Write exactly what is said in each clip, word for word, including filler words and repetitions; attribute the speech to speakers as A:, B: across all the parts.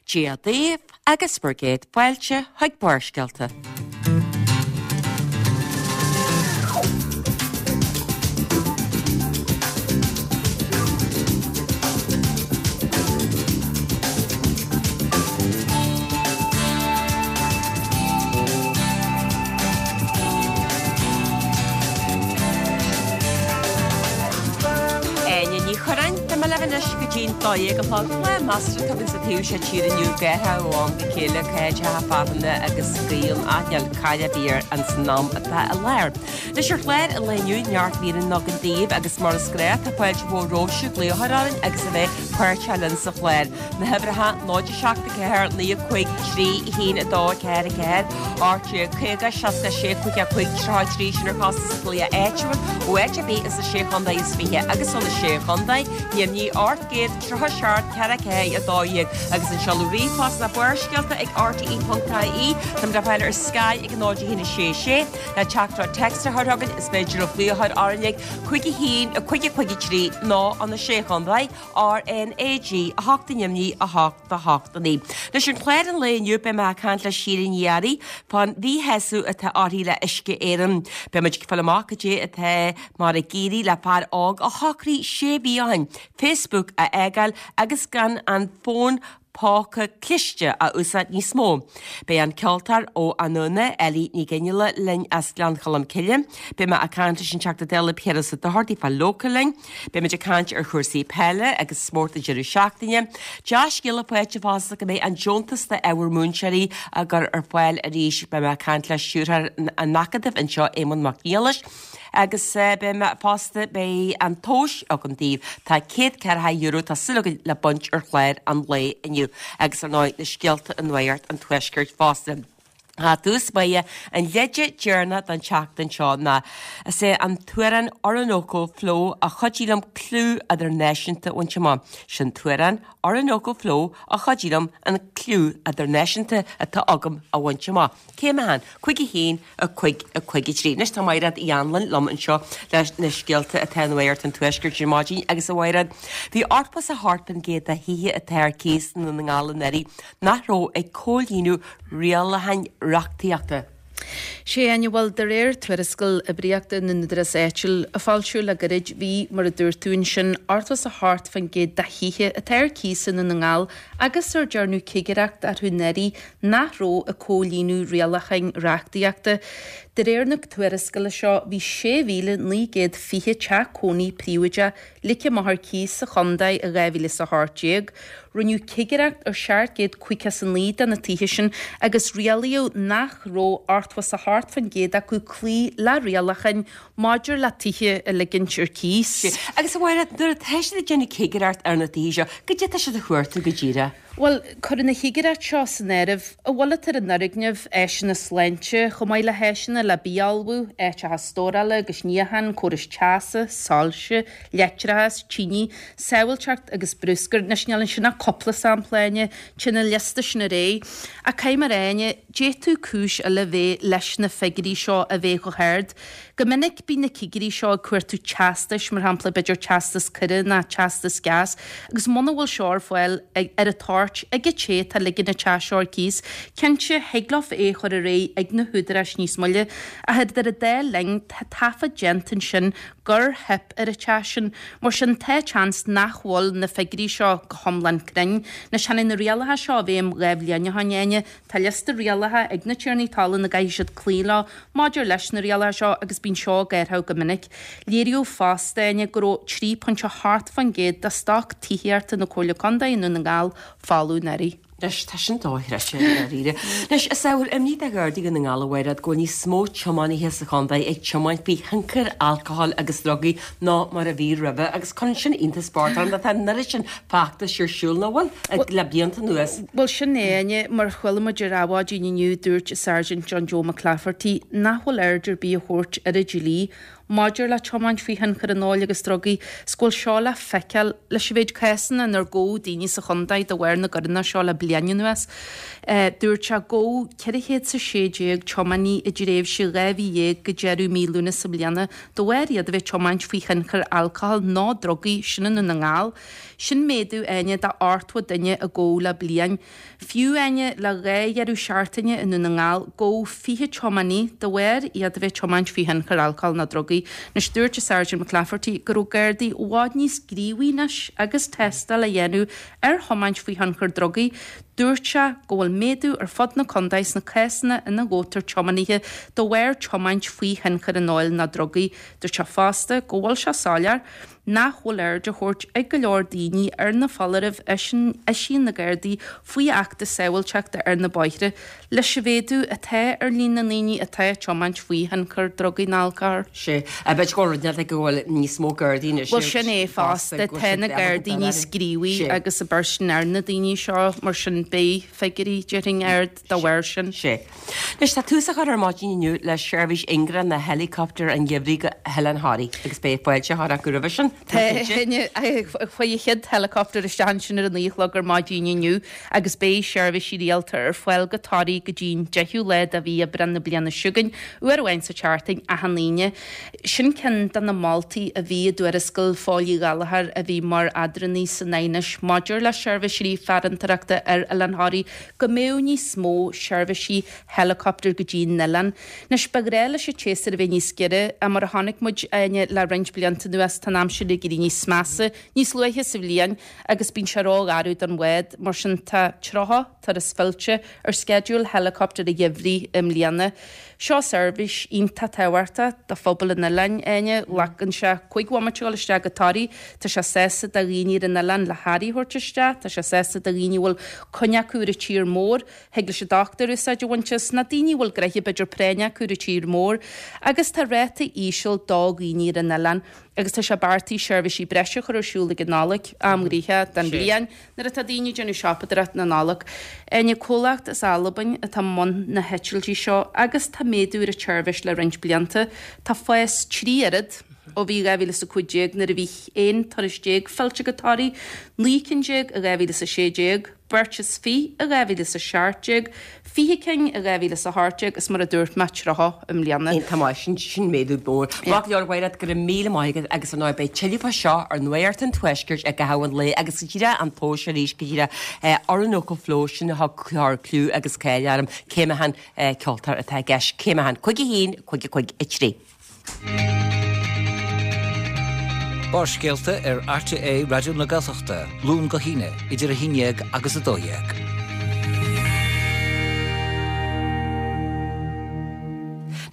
A: Dia daoibh agus bhur gcéad fáilte chuig Barrscéalta. Áine Ní Churráin, Tá mé libh anois go dtí'n dó dhéag a chlog. Lá measartha tobann sa taobh seo tíre inniu, gáitheadh ó am go chéile, caidreacha fearthainne agus gaoth an aithneáil caille bíor an san am atá i láthair. Anois ar chlár an lae inniu, neart míreanna againn daoibh agus mar is gnách tá fáilte mhór romhaibhse glaoch a chur orainn agus a bheith páirteach linn sa chlár. Na huimhreacha, náid a seacht a ceathair, naoi a cúig, trí, a haon, a dó, a ceathair, a ceathair, ocht déag caoga, seasca a sé, cúig a cúig, tríocha a trí, sin ar chostas glaoch áitiúil ó áit ar bith sna Sé Chontae is Fiche agus ó na Sé Chontae, Neamhní ocht gcéad tríocha seacht ceithre ceathair a dó dhéag agus an seoladh ríomhphost ná Barrscéalta ag R T E ponc I E. Táimid le fáil ar Sky ag a náid a haon a sé sé. Le teachtaireacht téacs a chur chugainn is féidir libh glaoch a chur orainn ag cúig a haon, cúig a cúig a trí nó ó na Sé Chontae, R N A G a hocht a neamhní a hocht a hocht a naoi. Anois ar chlár an lae inniu beidh mé ag caint le Síle Ní Fhearraigh fán mhíshásamh atá uirthi le Uisce Éireann. Beidh muid ag fáil amach cad é atá mar ag éirí le fear óg a shocraigh sé mhí ó shin Facebook a fhágáil agus gan an fón póca cliste a úsáid níos mó. Beidh an ceoltóir ó Anúna, Ellie Ní Ghinneala, linn as Gleann Cholm Cille. Beidh mé ag caint leis an Teachta Dála Piaras Ó Dochartaigh fá Local linn. Beidh muid ag caint ar chúrsaí peile agus spórt an deireadh seachtaine. Dea-scéala faighte fosta go mbeidh an deontas d'ábhar múinteoirí á gcur ar fáil arís. Beidh mé ag caint le stiúrthóir an Acadaimh anseo, Éamonn Mac Niallais. Agus beidh mé fosta beidh an tomhas agam daoibh. Tá céad ceathracha euro tá súil againn le baint ar chlár an lae inniu agus ar ndóigh na scéalta i Nuacht an Tuaiscirt fosta. I dtús báire an leide deireanach don tseachtain seo ná is é an t-amhrán Orinoco Flow a chuidigh liom clú idirnáisiúnta a bhaint amach. Sin t-amhrán Orinoco Flow a chuidigh liom an clú idirnáisiúnta atá agam a bhaint amach. Céim a haon, cúig a haon, a cúig, a cúig a trí. Anois tá Mairéad Uí Anluain liom anseo leis na scéalta atá i Nuacht an Tuaiscirt ar maidin agus a Mhairéad. Bhí ochtó is a hocht faoin gcéad de thithe atá ar cíos i nDún na nGall anuraidh nach raibh ag comhlíonadh rialacháin reachtaíochta.
B: Sé Áine, bhuel, de réir tuarascáil oibríochta na n-údarás áitiúil a foilsíodh le gairid, bhí, mar a dúirt tú ansin, ochtó is a hocht faoin gcéad de thithe atá ar cíos i nDún na nGall agus ar dearnadh cigireacht orthu anuraidh nach raibh ag comhlíonadh rialacháin reachtaíochta. De réir na tuarascála seo, bhí sé mhíle naoi gcéad fiche teach cónaí príobháideach ligthe amach ar cíos sa chontae i dhá mhíle is a hocht déag. Rinneadh cigireacht ar seacht gcéad caoga is a naoi de na tithe sin agus rialaíodh nach raibh ochtó is a hocht faoin gcéad acu cloí le rialacháin maidir le tithe a ligint ar cíos.
A: Agus a Mhairéad, nuair atá siad ag déanamh cigireacht ar na tithe seo, cad é atá siad a chuartú go díreach?
B: Bhuel, cuireadh na chigireacht seo san áireamh a bhfuil ar an fhoirgneamh, áiseanna sláinte, chomh maith le háiseanna le bia a ullmhú, áiteacha stórála agus níocháin, córais teasa, soilse, leictreachas, tine, sábháilteacht agus bruscar. Anois níl ansin ach cúpla sampla, Áine, téann an liosta sin ar aghaidh. Ach caithfidh mé a rá, Áine, d'fhéadfadh cúis eile bheith leis na figiúirí seo a bheith chomh hard. Go minic bíonn na cigirí seo ag cuartú teastais, mar shampla b'fhéidir teastas coire nó teastas gas, agus muna bhfuil seo ar fáil ar an toirt ag an té atá ag ligean an teach seo ar cíos, cinnte, thig leo é a chur ar aghaidh ag na húdaráis níos moille. Ach idir an dá linn, tá taifead déanta ansin gur theip ar an teach sin. Mar sin, tá seans nach bhfuil na figiúirí seo go hiomlán cruinn. Anois, tháinig na rialacha seo i bhfeidhm dhá bhliain ó shin, Áine. Tá liosta rialacha ag na tiarnaí talún a gcaithfidh siad cloí leo maidir leis na rialacha seo agus bíonn seo ag athrú go minic. Léiríodh fosta, Áine, go raibh trí pointe a hocht faoin gcéad de stoc tithíochta na Comhairle Contae i nDún na nGall folamh anuraidh.
A: Anois, tá sin dochreidte, i ndáiríre. Anois, is ábhar imní do Ghardaí Dhún na nGall a Mhairéad go bhfuil níos mó tiománaithe sa chontae ag tiomáint faoi thionchar alcohol agus drugaí ná mar a bhí roimhe agus cuireann sin iontas bocht orm tá an oiread sin feachtais ar siúl nach bhfuil le blianta anuas.
B: Bhuel, sin é, Áine, mar chuala muid ar Adhmhaidin inniu, dúirt Sergeant John Joe McClafferty nach bhfuil aird ar bith á thabhairt ar an dlí maidir le tiomáint faoi thionchar an óil agus drugaí 's go bhfuil seo le feiceáil leis an mhéid cásanna inar gabhadh daoine sa chontae de bharr na gcoireanna seo le bliain anuas. Dúirt sé gabhadh ceithre chéad 's a sé déag tiománaí i dtréimhse dhá mhí dhéag go deireadh mí Lúnasa i mbliana de bharr iad a bheith ag tiomáint faoi thionchar alcohol nó drugaí, sin i nDún na nGall. Sin méadú, Áine, de ochtó duine a gabhadh le bliain. Fiú, Áine, le dhá dheireadh seachtaine i nDún na nGall, gabhadh fiche tiománaí de bharr iad a bheith ag tiomáint faoi thionchar alcóil nó drugaí. Anois, dúirt an Sergeant McClafferty go raibh Gardaí i bhfad níos gníomhaí anois agus tástáil á dhéanamh ar thiomáint faoi thionchar drugaí. Dúirt sé go bhfuil méadú ar fud na contae sna cásanna ina ngabhtar tiománaithe de bharr tiomáint faoi thionchar an óil nó drugaí. Dúirt sé fosta go bhfuil sé soiléir nach bhfuil aird á thabhairt ag go leor daoine ar na foláirimh a eisíonn na Gardaí faoi Acht Sábháilteachta ar na Bóithre leis an mhéadú atá ar líon na ndaoine atá ag tiomáint faoi thionchar drugaí nó alcóil.
A: Sea, b'fhéidir go bhfuil rud éigin go bhfuil níos mó Gardaí anois.
B: Bhuel sin é fosta, tá na Gardaí níos gníomhaí agus ag beirt ar na daoine seo, mar sin beidh figiúirí déarfainn ard dá bharr sin.
A: Sea. Anois tá tús á chur ar maidin inniu le seirbhís ingearach na helicopter an gheimhridh go hOileán Thoraí agus beidh fáilte á chur acu roimhe sin.
B: Tá chuaigh an chéad helicopter isteach ansin ar a naoi a chlog ar maidin inniu agus beidh seirbhísí rialta ar fáil go Toraigh go dtí'n deichiú lá de mhí Aibreán na bliana seo chugainn, uair amháin sa tseachtain, achan Aoine. Sin ceann de na moltaí a bhí i dtuarascáil Phóil Uí Ghallchóir a bhí mar eadránaí san aighneas maidir le seirbhísí farantóireachta ar Oileán Thoraí go mbeadh níos mó seirbhísí helicopter go dtí an oileán. Anois, ba ghnách leis an tséasúr a bheith níos giorra, ach mar a chonaic muid, Áine, le roinnt blianta anuas, tá an aimsir ag éirí níos measa níos luaithe sa bhliain agus bíonn sé rógharbh don bhád, mar sin tá tríocha turas fillte ar sceideal helicopter an gheimhridh i mbliana. Seo seirbhís iontach tábhachtach do phobal an oileáin, Áine. Glacann sé cúig bhomaite a dhul isteach go Toraigh. Tá sé sásta do dhaoine ar an oileán le hearraí a thabhairt isteach. Tá sé sásta do dhaoine a bhfuil coinne acu ar an tír mór. Thig leis an dochtúir úsáid a bhaint as, nó daoine a bhfuil gnoithe b'fhéidir práinne acu ar an tír mór. Agus tá ráta íseal do dhaoine ar an oileán. Agus tá sé beartaithe seirbhísí breise a chur ar siúl ag an Nollaig, am gnoitheach den bhliain, nuair atá daoine ag déanamh siopadóireacht na Nollag. Áine, comhlacht as Albain atá i mbun na heitiltí seo agus tá méadú ar an tseirbhís le roinnt blianta. Tá fás trí oiread ó bhí dhá mhíle is a cúig déag nuair a bhí aon turas déag fillte go Toraigh, naoi cinn déag i dhá mhíle is a sé déag, beirt is fiche i dhá mhíle is a seacht déag, fiche cinn i dhá mhíle is a hocht déag is mar a dúirt mé, tríocha i mbliana.
A: Iontach maith, sin, sin méadú mór. Maith go leor, a Mhairéad, go raibh míle maith agat agus ar ndóigh beidh tuilleadh fá seo ar Nuacht an Tuaiscirt i gcaitheamh an lae agus go díreach an tomhas arís go díreach Orinoco Flow sin a thug cliú agus cáil orm cé mé an ceoltóir atá i gceist, cé mé an cúig a haon, cúig a cúig a trí.
C: Barrscéalta ar RTÉ Raidió na Gaeltachta, Luan go hAoine, idir a haon déag agus a dó dhéag.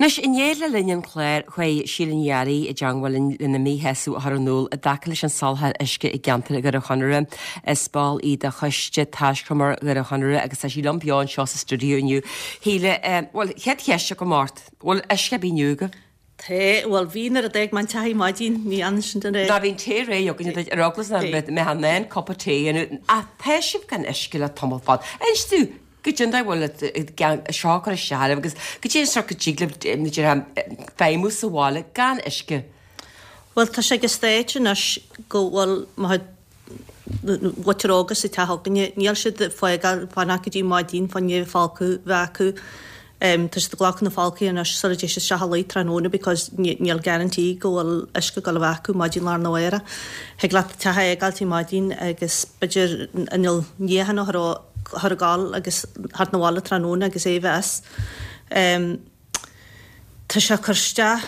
A: Anois, inné le linn an chláir, chuaigh Síle Ní Fhearraigh i dteangmháil linn lena míshásamh a chur in iúl i dtaca leis an soláthar uisce i gceantar Dhoire Chonaire. Is ball í de Choiste Taiscumar Dhoire Chonaire agus tá sí liom beo anseo sa stiúideo inniu. Shíle, bhuel, chéad cheist agam ort, bhfuil uisce ar bith inniu agaibh?
D: Tá, bhuel bhí nuair a d'fhág mé an teach ar maidin, ní fhanann sin den ré.
A: Ná bhí an tae réidh againne duit ar eagla nach mbeifeá in ann cupa tae a dhéanamh. Ach tá sibh gan uisce le tamall fada. Inis domh, goidé an dóigh a bhfuil seo ag cur isteach oraibh agus goidé an sórt go dtig libh feidhmiú sa bhaile gan uisce.
D: Bhuel tá sé ag an stage anois go bhfuil mo chuid mhuintir óga sa teach againne, níl siad ag fágáil fanacht go dtí maidin fá choinne folcadh bheith acu. Tá siad ag glacadh na folcthaí anois sula dtéid siad isteach a luí tráthnóna because níl guarantee go bhfuil uisce ag dul a bheith acu maidin lá arna mhárach. Thig leat teach a fhágáil ar maidin agus b'fhéidir inneall níocháin a chur ag gabháil agus theacht 'na bhaile tráthnóna agus é a bheith as. Tá sé ag cur isteach,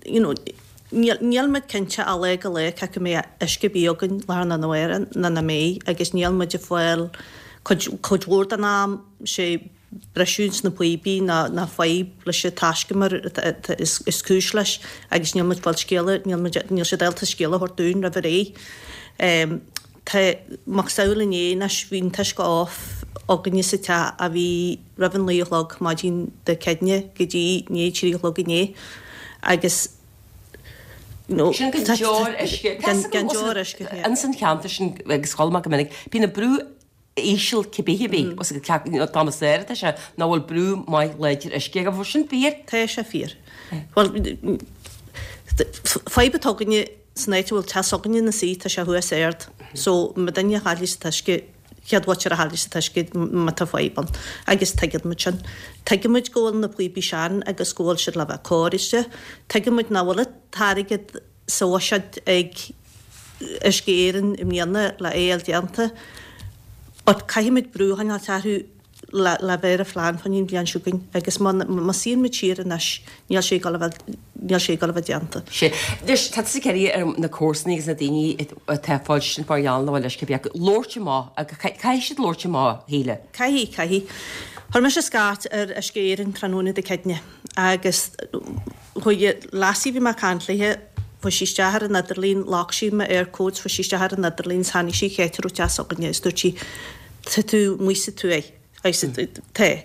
D: you know, níl, níl muid cinnte ó lá go lá cé acu mbeidh uisce ar bith againn lá arna mhárach nó nach mbeidh agus níl muid ag fáil cuid, cuid mhór den am sé briseadh sna píopaí nó, nó fadhb leis an taiscumar is, is cúis leis agus níl muid ag fáil scéala, níl muid, níl siad ábalta scéala a thabhairt dúinn roimh ré. Tá macasamhail inné anois, bhí an t-uisce off againne sa teach a bhí roimh an naoi a chlog maidin Dé Céadaoine go dtí i ndiaidh trí a chlog inné agus you know
A: Sin gan deoir uisce. Gan
D: gan deoir uisce, yeah.
A: Ins an cheantar sin agus chuala mé go minic, bíonn an brú íseal cibé ar bith, os ag you know, dá mba saor atá sé, nach bhfuil brú maith láidir uisce aige, bhfuil sin fíor?
D: Tá sé fíor. Bhuel, Fadhb atá againne san áit a bhfuil teach s'againne ina suí, tá sé thuas ard. So má duine a chaillfidh an t-uisce, chéad mhuintir a chaillfidh an t-uisce má tá fadhb ann. Agus tuigeann muid sin. Tuigeann muid go bhfuil na píopaí sean agus go bhfuil siad le bheith cóirithe. Tuigeann muid nach bhfuil an t-airgead sa bhuiséad ag Uisce Éireann i mbliana le é a fháil déanta. But caithfidh muid brú a choinneáilt orthu le le bheith ar an phlean fá choinne an bhliain seo chugainn agus má má suíonn muid siar anois níl sé ag dul a bheith níl sé ag dul a bheith déanta.
A: Sé. Anois, tá tusa ag iarraidh ar na comharsanaí agus na daoine atá ag fáil sin mar gheall nach bhfuil uisce ar bith acu labhairt amach agus caithfidh siad labhairt amach, a Shíle.
D: Caithfidh, caithfidh. Chuir mise scairt ar Uisce Éireann tráthnóna Dé Céadaoine agus chuaigh lassie a bhí mé ag caint léithe, Chuaigh sí isteach ar an idirlíon, ghlac sí mo Eircode, chuaigh sí isteach ar an idirlíon is tháinig sí cá háit a raibh teach s'againne is dúirt sí, Tá tú amuigh sa tuaith. I said, Tá.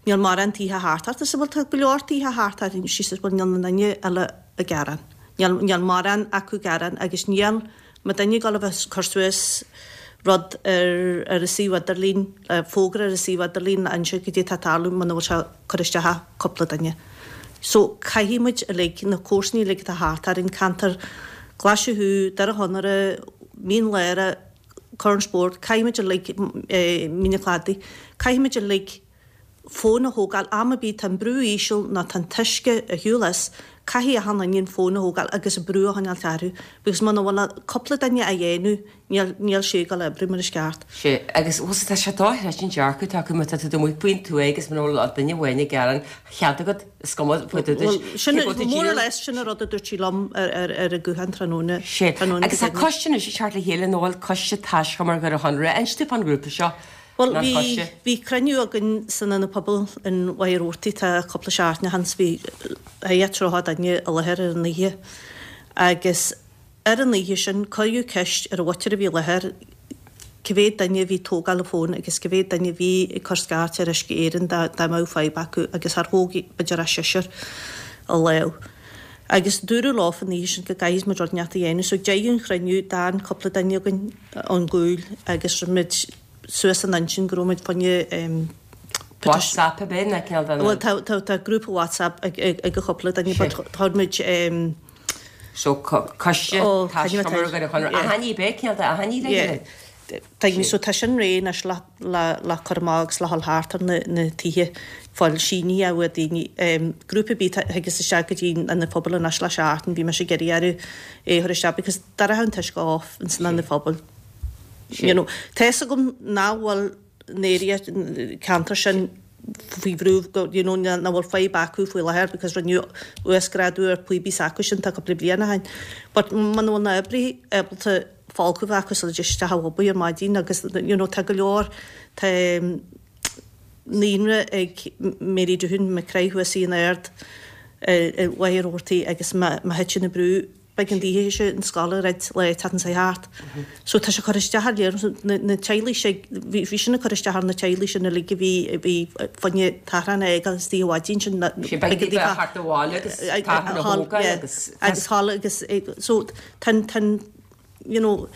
D: Níl mórán tithe thart ort. I said, Bhuel tá go leor tithe thart orainn. She says, Bhuel níl aon duine eile ag gearán. Níl, níl mórán acu ag gearán agus níl, má duine ag dul a bheith ag cur suas rud ar ar an suíomh idirlín, fógra ar an suíomh idirlín le inse goidé atá ag tarlú muna bhfuil sé ag cur isteach ar cúpla duine. So caithfidh muid uilig, na comharsanaí uilig atá thart orainn, ceantar Glaise Chú, Doire Chonaire, Mín Lárach, Corn Spóirt, caithfidh muid uilig, Mín an Chladaigh, caithfidh muid uilig fón a thógáil, am ar bith tá an brú íseal nó tá an t-uisce ar shiúl as, caithfidh achan duine an fón a thógáil agus an brú a choinneáilt orthu because muna bhfuil cúpla duine á dhéanamh níl, níl sé ag dul a oibriú mar is ceart.
A: Sea, agus bhuel tá sé dochreidte an dearcadh atá acu má tá tú amuigh faoin tuath agus muna bhfuil duine amháin ag gearán chead agat is cuma faoi do
D: Bhuel, sin, more or less sin an rud a dúirt sí liom ar, ar, ar an ghuthán tráthnóna,
A: Sea,
D: tráthnóna
A: agus tá coiste anois ag teacht le chéile nó bhfuil coiste taiscumar Dhoire Chonaire, inis dúinn fán ghrúpa seo.
D: Bhuel, bhí, bhí cruinniú againn san Ionad Pobail in Mhachaire Rabhartaigh, tá cúpla seachtain ó shin, bhí thart ar tríocha duine i láthair ar an oíche agus ar an oíche sin cuireadh ceist ar an mhuintir a bhí i láthair cé mhéad duine a bhí ag tógáil an fóin agus cé mhéad duine a bhí ag cur scairt ar Uisce Éireann dá, dá mbeadh fadhb acu agus char thóg b'fhéidir ach seisear a lámh. Agus dúradh leofa an oíche sin go gcaithfidh muid rud inteacht a dhéanamh so ag deireadh an chruinniú d'fhan cúpla duine againn ón gCúil agus rinne muid suas an intinn go raibh muid fá choinne
A: WhatsApp ab é nó cineál de
D: Bhuel tá tá tá grúpa WhatsApp ag ag ag cúpla duine but chuir muid
A: So coiste taiscumar Dhoire Chonaire aithní ab é cineál de aithní le chéile?
D: Tuigim so tá sin réidh anois le le le cur amach agus le dhul thart ar na na tithe fáil sínithe ó daoine. Grúpa ar bith a thigeas isteach go dtí an Ionad Phobail anois le seachtain bhí mise ag iarraidh orthu é a chur isteach because d'éireodh an t-uisce off ins an Ionad Phobail. You know, tá fhios agam nach bhfuil an area ceantar sin faoi bhrú go, you know, nach bhfuil fadhb acu faoi láthair because rinneadh uasghrádú ar píopaí s'acu sin tá cúpla bliain ó shin. But muna bhfuil na oibrithe ábalta folcadh a bheith acu sula dtéid isteach ag obair ar maidin agus, you know, tá go leor, tá naíonra ag Mary Doohan, McCrae thuas in Ard i Mhachaire Rabhartaigh agus má thiteann an brú, B'éigean daoithe an scoil a dhruid le teacht an thart. So tá sé ag cur isteach ar léir na teaghlaigh sin, bhí sin ag cur isteach ar na teaghlaigh sin uilig a bhí a bhí fá choinne tachrán a fhágáil istigh an mhaidin sin.
A: Sé b'éigean daofa theacht abhaile agus tachrán a thógáil agus.
D: Agus thall agus so tá tá you know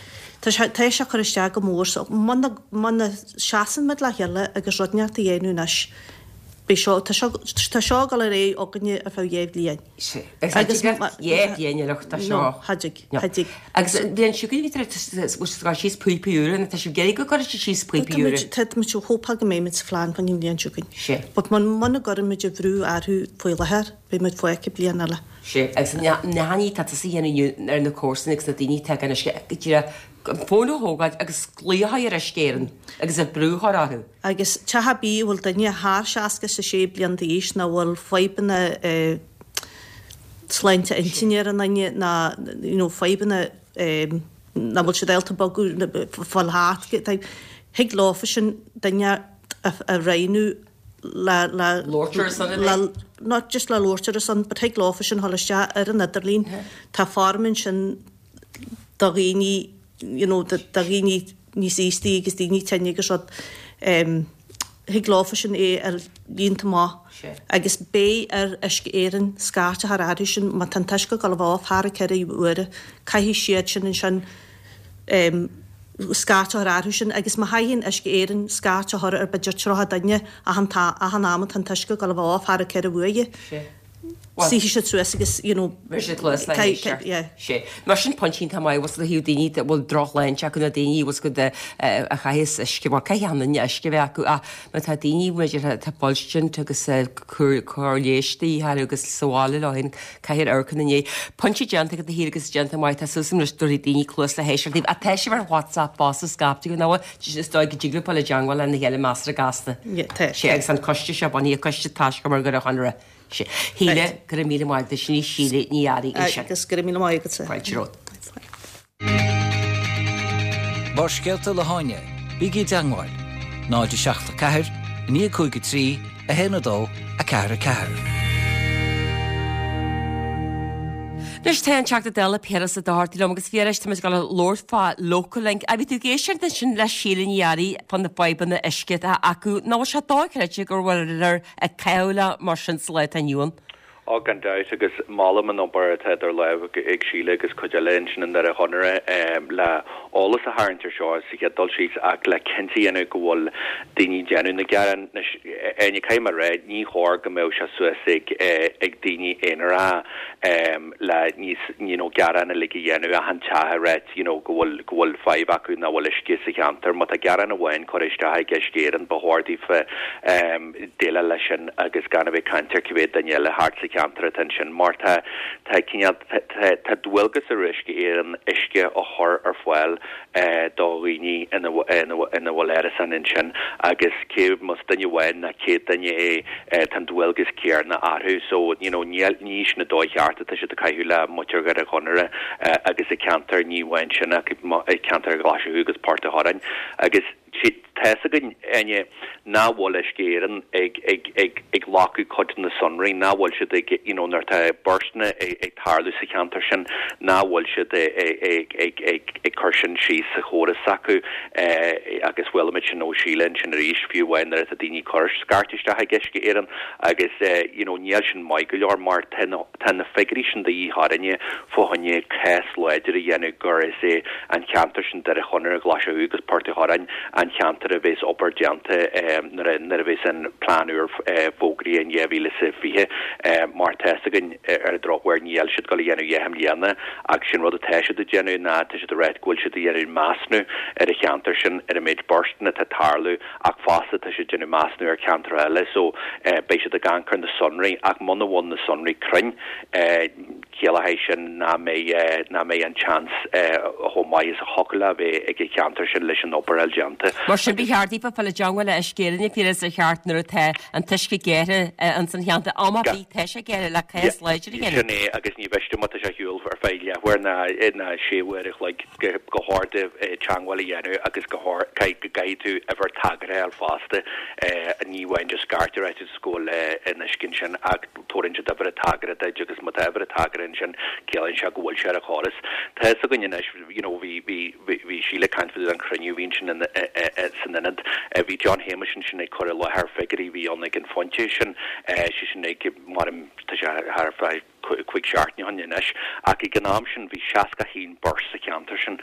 D: tá sé tá sé ag cur isteach go mór so muna muna seasann muid le chéile agus rud inteacht a dhéanamh anois beidh seo tá seo tá seo ag dul ar aghaidh againne ar feadh dhá bhliain.
A: Sea. Agus cha dtig leat dhá bhliain a lucht as seo.
D: No, cha dtig, cha dtig.
A: Agus bhí an siocair a bhí tar éis bhfuil siad ag cur síos píopaí úra nó tá sibh ag iarraidh go gcuirfidh siad síos píopaí úra?
D: Tá muid ag hópáil go mbeidh muid sa phlean fá choinne an bhliain seo chugainn.
A: Sea.
D: But muna gcuireann muid an bhrú orthu faoi láthair beidh muid fágtha bliain eile.
A: Sea, agus na haithní atá tusa a dhéanamh inniu ar na comharsana agus na daoine atá gan uisce, go díreach an fón a thógáil agus glaoch ar Uisce Éireann agus an brú a chur orthu.
D: Agus teach ar bith a bhfuil duine thar seasca is a sé bliain d'aois nó a bhfuil fadhbanna sláinte intinne ar an nduine nó you know fadhbanna nach bhfuil siad ábalta bogadh, fáil thart, thig leofa sin duine a roghnú le le
A: Labhairt ar a son a bheith.
D: not just le labhairt ar a son but thig leofa sin dhul isteach ar an idirlíon tá form ansin do dhaoine you know do dhaoine níos aostaí agus daoine tinne agus rud em thig leofa sin é a líonadh amach agus beidh ar Uisce Éireann scairt a chur orthu sin má tá an t-uisce ag dul a bheith off thar ceithre huaire caithfidh siad sin ansin em scairt a chur orthu sin agus má chaithfidh Uisce Éireann scairt a chur ar b'fhéidir tríocha duine achan achan am atá an t-uisce ag dul a bheith off thar ceithre huaire, Suífidh siad suas agus, you know,
A: Bheir siad cluas le héisteacht.
D: Yeah.
A: Sé. Mar sin pointe iontach maith bhfuil ó thaobh daoine a bhfuil drochshláinte acu nó daoine bhfuil go a chaitheas uisce, bhuel caithfidh achan duine uisce a bheith acu ach má tá daoine b'fhéidir atá fuilstint agus cóir leighis de dhíth orthu agus sa bhaile leo féin caithfidh amharc ina ndiaidh. Pointe déanta agat a Shíle agus déanta maith tá súil agam anois go dtabharfaidh daoine cluas le héisteacht daoibh. Ach tá sibh ar WhatsApp fosta scaipthe go nó is dóigh go dtig libh dul i dteangmháil lena chéile measartha gasta.
D: Yeah, tá.
A: Sé agus an coiste seo bunaithe coiste taiscumar Dhoire Chonaire. Sé. Shíle, go raibh míle maith agat sin í Síle Ní Fhearraigh ansin.
D: Agus go raibh míle maith agatsa.
A: Fáilte romhat.
C: Barrscéalta le hÁine, bígí i dteangmháil, náid a seacht a ceathair, naoi cúig a trí, a haon a dó, a ceathair a ceathair.
A: Anois tá an Teachta Dála Piaras Ó Dochartaigh liom agus Phiarais tá muid ag dul a labhairt fá Local Link. A bhí tú ag éisteacht ansin le Síle Ní Fhearraigh fá na fadhbanna uisce atá acu. Nach bhfuil sé dochreidte go bhfuil ag caitheamh le mar sin sa lá atá inniu ann?
E: Ó gan dabht agus molaim an obair atá idir lámha ag Síle agus cuid eile ansin i nDoire Chonaire le eolas a tharraingt ar seo sa chéad dul síos ach le cinnte a dhéanamh go bhfuil daoine ag déanamh na gearán. Anois, Áine, caithfidh mé a rá, ní chóir go mbeadh sé suas ag ag daoine aonaracha le níos you know gearán uilig a dhéanamh achan teach a ráit you know go bhfuil go bhfuil fadhb acu nach bhfuil uisce sa cheantar. Má tá gearán amháin curtha isteach ag Uisce Éireann ba chóir daofa déileáil leis sin agus gan a bheith ag caint ar cibé duine eile thart sa cheantar atá ansin mar tá tá cineál tá tá dualgas ar Uisce Éireann uisce a chur ar fáil do dhaoine ina ina ina bhfuil árasáin ansin agus cé más duine amháin ná céad duine é tá an dualgas céanna orthu so you know níl ní sin an dóigh cheart atá siad ag caitheamh le muintir Dhoire Chonaire agus i ceantar ní amháin sin ach i ceantar Ghlaschú agus Port a' Choráin agus tá fhios againn, Áine, nach bhfuil Uisce Éireann ag ag ag ag glacadh cuid de na sonraí, nach bhfuil siad ag you know nuair atá burstanna ag ag tarlú sa cheantar sin, nach bhfuil siad ag ag ag ag ag cur sin síos sa chóras s'acu agus chuala muid sin ó Sheila ansin arís, fiú amháin nuair atá daoine ag cur scairt isteach ag Uisce Éireann agus you know níl sin maith go leor mar tá na tá na figiúirí sin de dhíth orainne fá choinne cás láidir a dhéanamh gur is é an ceantar sin Doire Chonaire, Glaise Thuaidh agus Port a' Choráin an cheantar a bheas obair déanta nuair a nuair a bheas an plean úr fógraithe in dhá mhíle is a fiche mar tá fhios againn ar an drochuair níl siad ag dul a dhéanamh dheich mbliana ach sin rud atá siad ag déanamh ná tá siad ag ráit go bhfuil siad ag déanamh measnú ar an cheantar sin ar an méid burstanna atá ag tarlú ach fosta tá siad ag déanamh measnú ar cheantar eile so beidh siad ag amharc ar na sonraí ach muna bhfuil na sonraí cruinn ciallóidh sin nach mbeidh nach mbeidh an seans chomh maith is a thiocfadh le bheith ag an cheantar sin leis an obair a fháil déanta.
A: Mar sin ba cheart daofa fáil i dteangmháil le Uisce Éireann a Phiarais ar cheart nuair atá an t-uisce géartha ins an cheantar. Am ar bith tá sé géartha le cás láidir a dhéanamh.
E: Sin é agus ní mhiste má tá sé ar shiúl ar feadh leathuair ná ná sé uair a chloig go chóir duit teangmháil a dhéanamh agus go caithfidh go gcaithfidh tú uimhir tagartha a fháil fosta ní amháin just scairt a ráit is go bhfuil an uisce ansin ach tabharann siad uimhir tagartha duit agus má tá uimhir tagartha ansin ciallaíonn sé go bhfuil sé ar an chóras. Tá fhios againn anois you know bhí bhí bhí Síle ag caint faoi an chruinniú a bhí ansin in san ionad. Bhí John Shéamuis ansin ag cur i láthair figiúirí a bhí ann ag an phointe sin sé sin ag mar tá sé thar feadh cúig seachtaine ó shin anois ach ag an am sin bhí seasca haon burst sa cheantar sin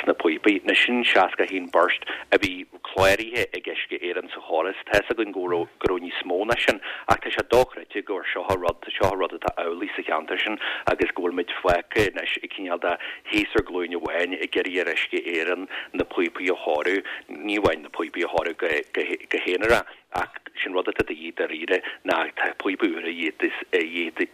E: sna píopaí. Anois sin seasca haon burst a bhí cláraithe ag Uisce Éireann sa chóras. Tá fhios againn go raibh go raibh níos mó ná sin ach tá sé dochreidte gur seo an rud seo an rud atá amhlaidh sa cheantar sin agus go bhfuil muid fágtha anois ag cineál de thíos ar ghlúin amháin ag iarraidh ar Uisce Éireann na píopaí a chóiriú, ní amháin na píopaí a chóiriú go go go haonarach ach sin rud atá de dhíth dáiríre ná tá píopa úr a dhíth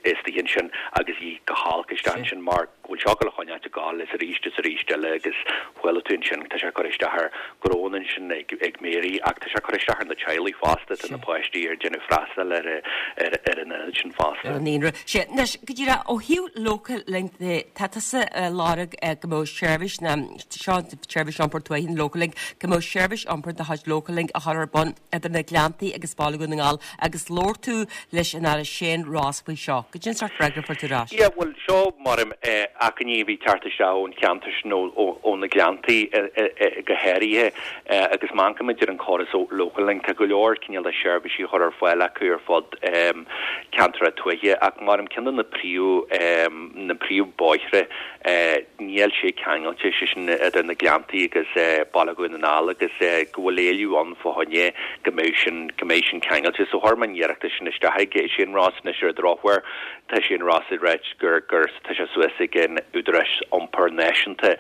E: istigh ansin agus dhíth go holc isteach ansin mar go bhfuil seo ag dul a choinneáilt ag gabháil is arís is arís eile agus chuala tú ansin tá sé ag cur isteach ar ghnónna ansin ag ag Mary ach tá sé ag cur isteach ar na teaghlaigh fosta tá na páistí ar déanamh freastal ar ar ar an ionad sin fosta.
A: Ar an naíonra. Sé anois go díreach ó thaobh Local Link de tá tusa ag lorg go mbeadh seirbhís na seo seirbhís iompair tuaithe Local Link go mbeadh seirbhís iompair de chuid Local Link a chur ar bun idir na Gleanntaí agus Baile Dhún na nGall agus labhair tú leis an Aire Shane Ross faoi seo. Goidé an sórt freagra a fuair tú ar ais.
E: Yeah, bhuel seo mar achainí a bhí ag teacht isteach ón cheantar sin, ó na Gleanntaí go háirithe, agus má amharcaimid ar an chóras Local Link, tá go leor cineál de seirbhísí a chur ar fáil acu ar fud ceantracha tuaithe, ach mar ceann de na príomh na príomhbhóithre níl sé ceangailte, sé sin idir na Gleanntaí agus Baile Dhún na nGall, agus go bhfuil éileamh ann fá choinne go mbeidh sin go mbeidh sin ceangailte. So chuir mé an iarracht sin isteach ag Shane Ross anois ar an drochuair. Tá Shane Ross ag ráit gur gur tá sé suas ag an Údarás Iompair Náisiúnta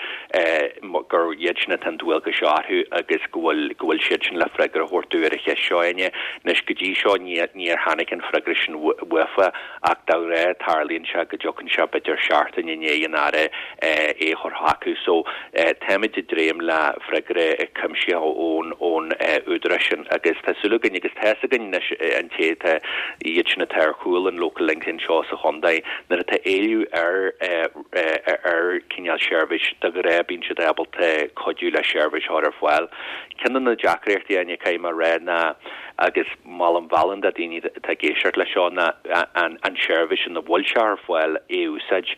E: gur iad sin atá an dualgas seo orthu agus go bhfuil go bhfuil siad sin le freagra a thabhairt dúinn ar an cheist seo Áine. Anois go dtí seo ní níor tháinig an freagra sin uafa ach de ghnáth tarlaíonn sé go dtiocfaidh sé b'fhéidir seachtain i ndiaidh an Aire é a chur chucu. So táimid ag dréim le freagra cuimsitheach ón ón údarás sin agus tá súil againn agus tá fhios againn anois an té atá iad sin atá ar chúl an Local Link anseo sa chontae nuair atá éileamh ar ar cineál seirbhís de ghnáth bíonn siad ábalta cuidiú le seirbhís a chur ar fáil. Ceann de na deacrachtaí Áine caithfidh mé a rá ná agus molaim mheallann do daoine atá ag éisteacht leis seo ná an an seirbhís ina bhfuil sé ar fáil é a úsáid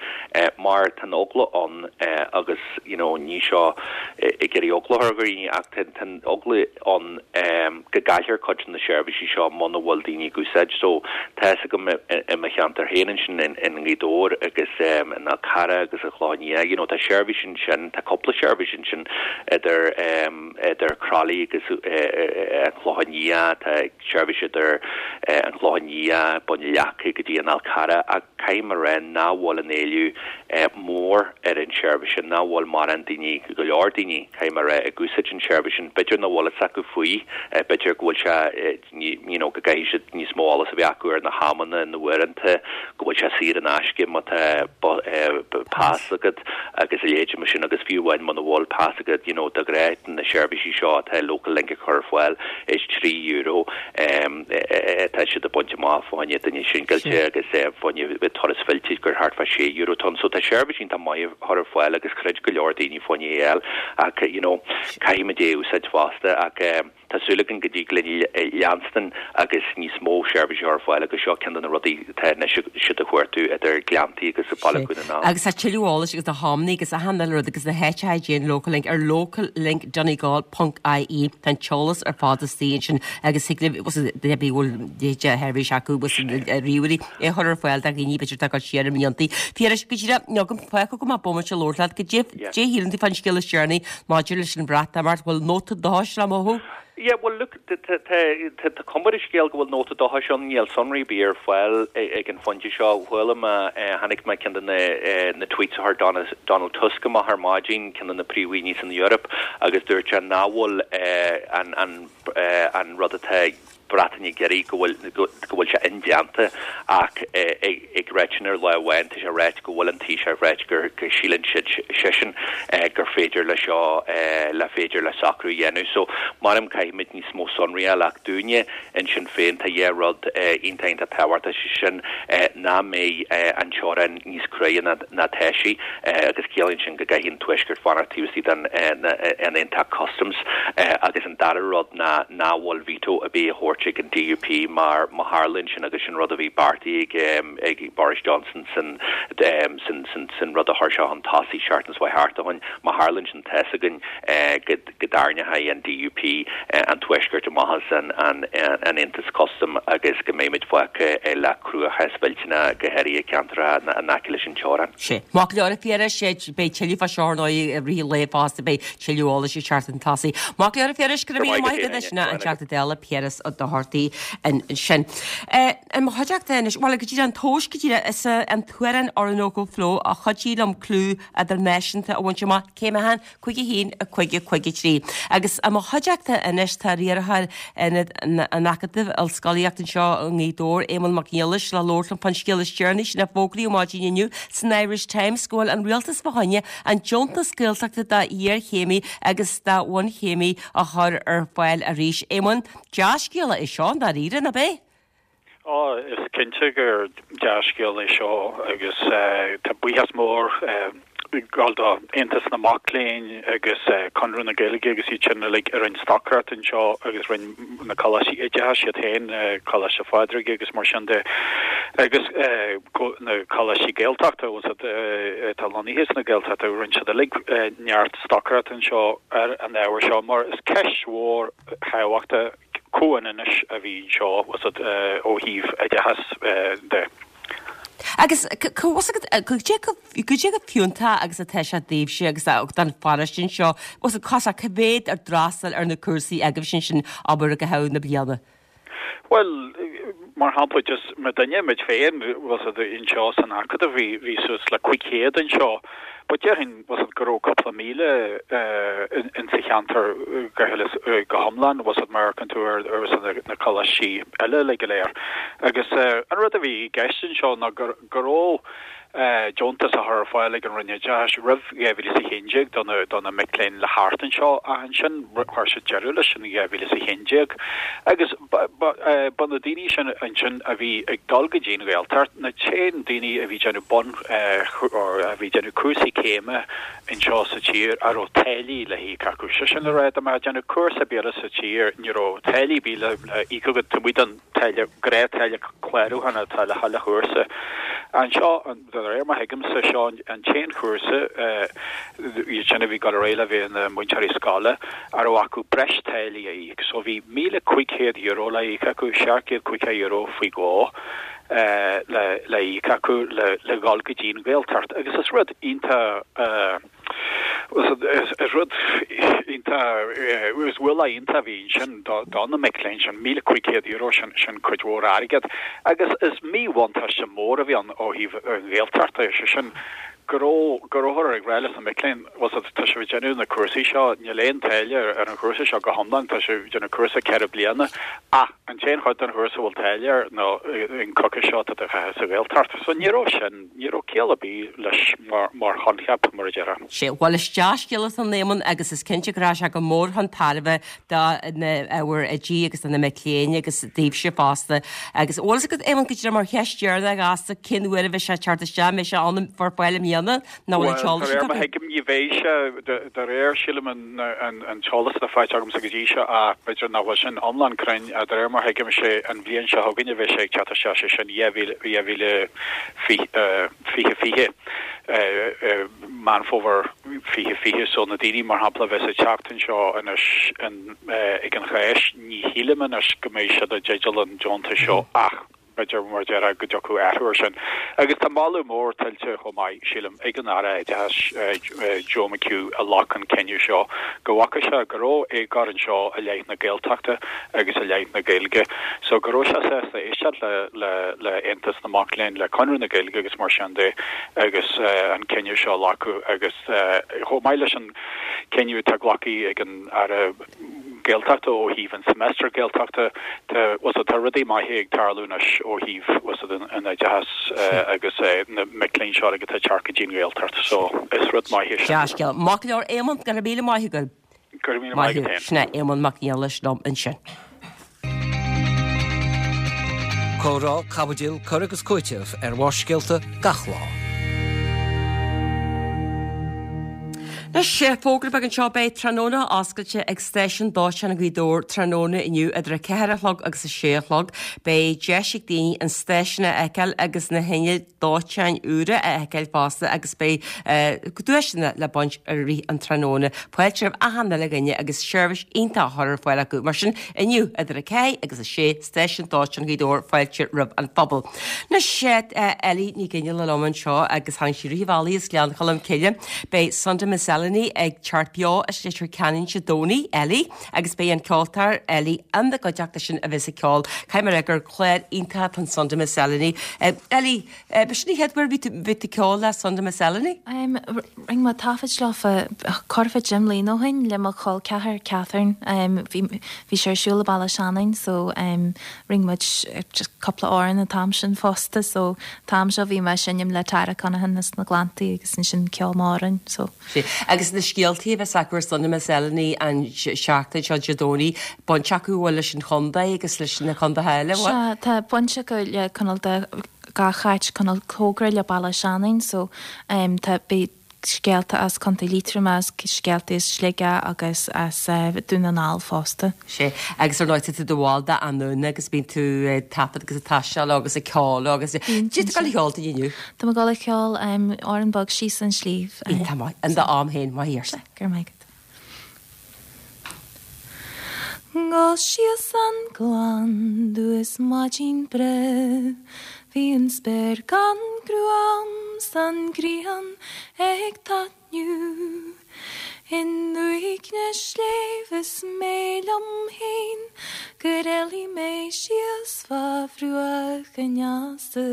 E: mar tá an eagla ann agus you know ní seo ag iarraidh eagla a chur ar dhaoine ach tá an eagla ann go gcaillfear cuid de na seirbhísí seo muna bhfuil daoine ag úsáid. So tá fhios agam i mo cheantar féin ansin in nGaoth Dobhair agus in Fhál Carrach agus an Chlochán Liath, you know tá seirbhís ansin, tá cúpla seirbhís ansin idir idir Crolly agus an Chlochán Liath, tá seirbhís idir an Chlochán Liath, Bun Leaca go dtí an Fhál Carrach ach caithfidh mé a rá nach bhfuil an éileamh mór ar an seirbhís sin, nach bhfuil mórán daoine, go leor daoine, caithfidh mé a rá, ag úsáid an seirbhís sin. B'fhéidir nach bhfuil fhios acu faoi, b'fhéidir go bhfuil sé, you know, go gcaithfidh siad níos mó eolas a bheith acu ar na hamanna, na huaireanta, go bhfuil sé saor in aisce má tá pas agat agus a leithéid mar sin agus fiú amháin muna bhfuil pas agat, you know, de ghnáth na seirbhísí seo atá Local Link ag cur ar fáil is trí euro atá siad ag baint amach fá choinne duine singilte agus fá choinne turas fillte gur thart fá sé euro atá ann. So tá seirbhís iontach maith a chur ar fáil agus chreid go leor daoine fá choinne é a fháil ach you know caithfimid é a úsáid fosta ach tá súil againn go dtig linn leanstan agus níos mó seirbhísí a chur ar fáil agus seo ceann de na rudaí atá anois siad a chuartú idir Gleanntaí agus Baile Dhún na nGall.
A: Agus tá tuilleadh eolais agus na hamanna agus achan uile rud agus na háiteacha a dtéann Local Link ar locallinkdonegal ponc ie. Tá an t-eolas ar fad istigh ansin agus thig libh duine ar bith a bhfuil de sheirbhís acu agus ríomhairí é a chur ar fáil do dhaoine b'fhéidir atá ag dul siar i mblianta. Piarais, go díreach, níl agam fágtha go maith bomaite a labhairt leat, go dté shíleann tú fán scéal is deireanaí maidir leis an Bhreatimeacht, bhfuil nóta dóchais le mothú?
E: Yeah, well look, tá cuma ar an scéal go bhfuil nóta dóchais ann, níl sonraí ar bith ar fáil ag an phointe seo. Chuala mé, chonaic mé ceann de na na tweets a chuir Donald Tusk amach ar maidin, ceann de na príomhdhaoine san Eoraip, agus dúirt sé nach bhfuil an an an rud atá ag Breatain ag iarraidh go bhfuil go bhfuil sé indéanta ach ag ráit sin ar lá amháin tá sé ráite go bhfuil an Taoiseach ag ráit gur go síleann siad seisean gur féidir le seo le féidir le socrú a dhéanamh. So maram caithfimid níos mó sonraí a fháil ach dúinne ansin féin tá dhá rud iontach iontach tábhachtach sé sin nach mbeidh an teorainn níos cruaidhe ná ná tá sí agus ciallaíonn sin go gcaithfidh an Tuaisceart fanacht taobh istigh den an Aontacht Customs agus an dara rud ná nach bhfuil veto ar bith a thabhairt ag an DUP mar má tharlaíonn sin agus sin rud a bhí beartaithe ag ag Boris Johnson san san san san rud a chuir sé chun tosaigh seachtain is thart ó shin má tharlaíonn sin tá fhios againn go go dtarraingeoidh an DUP an Tuaisceart amach as an an an Aontas Custam agus go mbeimid fágtha le cruachás millteanach go háirithe ceantracha in aice leis an teorainn.
A: Sé. Maith go leor a Phiarais, beidh tuilleadh fá seo ar ndóigh i rith an lae fosta beidh tuilleadh eolais ag teacht chun tosaigh. Maith go leor a Phiarais, go raibh míle maith agat sin an Teachta Dála Piaras Ó Dochartaigh ansin. I mo chuideachta anois, bhuel go dtí an tomhas go dtí is an t-amhrán Orinoco Flow a chuidigh liom clú idirnáisiúnta a bhaint amach cé mé cúig a haon a cúig a cúig a trí. Agus i mo chuideachta anois tá riarthóir Ionad an Acadaimh Ollscolaíocht anseo i nGaoth Dobhair, Éamonn Mac Niallais le labhairt liom fán scéal is deireanaí sin a fógraíodh maidin inniu san Irish Times go bhfuil an rialtas fá choinne an deontas Gaeltachta do iarchéimí agus do bhunchéimí a chur ar fáil arís. Éamonn, dea-scéala é seo dáiríre, nach ea?
F: Ó, is cinnte gur dea-scéal é seo agus tá buíochas mór Gabháil do Aontas na Mac Léinn agus Conradh na Gaeilge agus iad sin uilig a rinne stocaireacht anseo agus rinne na coláistí oideachais iad féin, Coláiste Phádraig agus mar sin de agus na coláistí Gaeltachta atá lonnaithe sna Gaeltachta, rinne siad uilig neart stocaireacht anseo ar an ábhar seo mar is ceist mhór thábhachtach comhionannais a bhí anseo ó thaobh oideachas de.
A: Agus goidé chomh fiúntach agus atá sé daoibhse agus don pharóiste anseo, cos cá mhéad a d'fhreastail ar na cúrsaí agaibhse ansin abair i gcaitheamh na bliana?
F: Bhuel, mar shampla, just muidinne, muid féin, bhfuil 's a'd, anseo san Acadamh, bhí, bhí suas le cúig chéad anseo, but déarfainn, bhfuil 's a'd, go raibh cúpla míle in sa cheantar go huile is go hiomlán, bhfuil 's a'd, má amharcann tú ar, ar na coláistí eile uilig go léir. Agus an rud a bhí i gceist anseo ná go, go raibh deontas á chur ar fáil ag an Roinn Oideachais roimh dhá mhíle is a haon déag do na, do na mic léinn le theacht anseo ach ansin chuir siad deireadh leis in dhá mhíle is a haon déag. Agus ba, ba, ba na daoine sin ansin a bhí ag dul go dtí an Ghaeltacht, na t-aon daoine a bhí déanamh bun, or a bhí déanamh cúrsaí céime anseo sa tír a raibh táillí le híoc acu. Sé sin le rá, dá mbeifeá ag déanamh cúrsa ar bith eile sa tír, ní raibh táillí ar bith le íoc agat taobh amuigh den táille, gnáth-táille clárúcháin atá le chuile chúrsa. Anseo, de réir mar a thuigimse, seo an t-aon chúrsa, iad sin a bhí ag dul ar aghaidh le bheith ina múinteoirí scoile, a raibh acu breis táillí a íoc. So bhí míle cúig chéad euro le íoc acu, seacht gcéad caoga euro faoi dhó le le íoc acu le le dhul go dtí an Ghaeltacht. Agus is rud iontach, Is rud iontach, is ualach iontach a bhí ansin do na mic léinn sin, míle cúig chéad euro, sin sin cuid mhór airgead. Agus is míbhuntáiste mór a bhí ann ó thaobh an Ghaeltacht de, sé sin go raibh, go rabhthar ag rá leis na mic léinn, bhfuil 's agat, tá sibh ag déanamh na cúrsaí seo, níl aon táille ar an chúrsa seo go hiomlán, tá sibh ag déanamh cúrsa ceithre bliana ach an t-aon chuid den chúrsa a bhfuil táille air ná an coicís seo atá tú a chaitheamh sa Ghaeltacht. So ní raibh sin. Ní raibh ciall ar bith leis mar choincheap, mar a déarfá.
A: Sea, bhuel is dea-scéal é san, a Éamoinn, agus is cinnte go rachaidh sé go mór chun tairbhe do na ábhair oidí agus do na mic léinn agus daoibhse fosta. Agus bhfuil fhios agat, Éamonn, go díreach mar cheist dheireanach ghasta, cén uair a bheidh sé ag teacht isteach? An mbeidh sé ann ar fáil i mbliana nó bhfuil an
F: Bhuel,
A: t-eolas
F: de réir
A: agat?
F: mar a thuigim, ní bheidh sé, de réir, sílim, an t-eolas atá faighte agamsa go dtí seo, ach b'fhéidir nach bhfuil sin iomlán cruinn, de réir mar a thuigim, sé an bhliain seo chugainn a bheidh sé ag teacht isteach, sé sin dhá mhíle, dhá mhíle fiche fiche, Meán Fómhair fiche fiche. So na daoine, mar shampla, a bheas ag teacht anseo anois ag an Cháisc, ní shílim anois go mbeidh siad i dteideal an deontais seo ach b'fhéidir, mar a déarfá, go dtiocfadh athrú ar sin. Agus tá moladh mór tuillte chomh maith, sílim, ag an Aire Oideachais, Joe McHugh, a ghlac an cinneadh seo, go bhfaca sé go raibh éagóir anseo i leith na Gaeltachta agus i leith na Gaeilge. So go raibh sé sásta éisteacht le le le Aontas na Mac Léinn, le Conradh na Gaeilge agus mar sin de agus an cinneadh seo a ghlacadh agus chomh maith leis an cinneadh atá glactha ag an Aire Gaeltachta ó thaobh an Semester Gaeltachta, tá tá rudaí maithe ag tarlú anois ó thaobh an oideachas agus na mic léinn seo atá ag teacht go dtí an Ghaeltacht so is rud maith é sin.
A: Dea-scéal. Maith go leor Éamonn, go raibh míle maith agat.
F: Go raibh míle maith agat féin.
A: Sin é Éamonn Mac Niallais liom ansin.
C: Comhrá, caibidil, cur agus cúiteamh ar Bharrscéalta gach lá.
A: Anois, fógra beag anseo, beidh tráthnóna oscailte ag Stáisiún Dóiteáin Ghaoth Dobhair tráthnóna inniu idir a ceathair a chlog agus a sé a chlog. Beidh deis ag daoine an stáisiún a fheiceáil agus na hinnill dóiteáin úra a fheiceáil fosta agus beidh duaiseanna le baint i rith an tráthnóna. Fáilte roimh achan uile dhuine agus seirbhís iontach á chur ar fáil acu. Mar sin, inniu idir a ceathair agus a sé, Stáisiún Dóiteáin Ghaoth Dobhair, fáilte roimh an phobal. Anois, Ellie Ní Ghinneala liom anseo agus tháinig sí i rith an bhealaigh as Gleann Cholm Cille. Beidh Sunday Miscellany ag teacht beo as Leitir Ceanainn Dé Domhnaigh, Ellie, agus beidh an ceoltóir Ellie ina gcuideachta sin a bheas ag ceol. Caithfidh mé a rá gur clár iontach atá in Sunday Miscellany. Ellie, B'shin an chéad uair a bhí tú ag ceol le Sunday Miscellany?
G: Rinne mé taifead leofa corradh deich mbliana ó shin le mo chol ceathar Catherine. Bhí bhí sé ar siúl i Baile Seanainn so rinne muid just cúpla amhrán an t-am sin fosta so an t-am seo bhí mé ag seinm le Tara Conaghan as na Gleanntaí agus ansin ceol Móráin so.
A: Agus na scéaltaí a bheas acu ar Sunday Miscellany an seachtain seo Dé Domhnaigh, baint acu an bhfuil leis an chontae agus leis na contaetha eile, bhfuil?
G: Sea, tá baint acu le cineál de gach áit cineál cóngarach le Baile Seanainn so tá beidh scéalta as Contae Liatroma, scéalta as Sligeach agus as Dún na nGall fosta.
A: Sé, agus ar ndóigh tá tú i do bhall d'Anúna agus bíonn tú ag taifead agus ag taisteal agus ag ceol agus Cad tá tú ag gabháil a cheol dúinn inniu?
G: Tá mé ag gabháil a cheol amhrán beag Síos an Sliabh.
A: Iontach maith, in d'am féin, maith thú.
G: Go raibh maith agat. Gabháil síos an gleann domh is maidin breá Bhí an spéir gan gruaim 's an ghrian ag taitniú I ndúiche sléibhe is mé liom féin Gur éalaigh mé síos fá bhruach an easa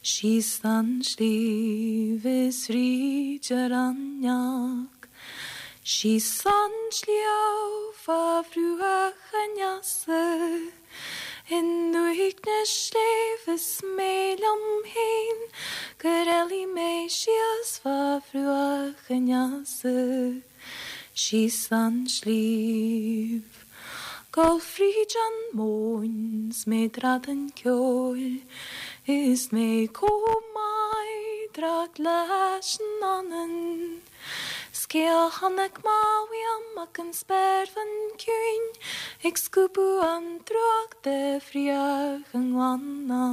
G: Síos an sliabh is fríd an raineach Síos an sliabh fá bhruach an easa I ndúiche sléibhe is mé liom féin Gur éalaigh mé síos fá bhruach an easa Síos an sliabh Gabháil fríd an móin 's mé ag drantáil ceoil Is mé chomh meidhreach leis an anann 'S cé a chonaic mé uaim ach an spéirbhean ciúin Ag scuabadh an drúcht de bhruach an ghleanna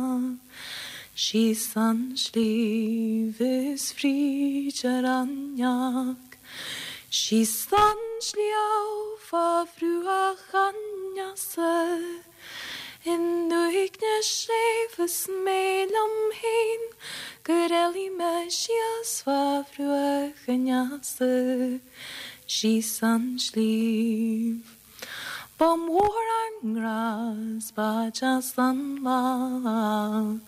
G: Síos an sliabh is fríd an raineach Síos an sliabh fá bhruach an easa I ndúiche sléibhe is mé liom féin Gur éalaigh mé síos fá bhruach an easa Síos an sliabh. Ba mhór ár ngrá 's ba deas an lá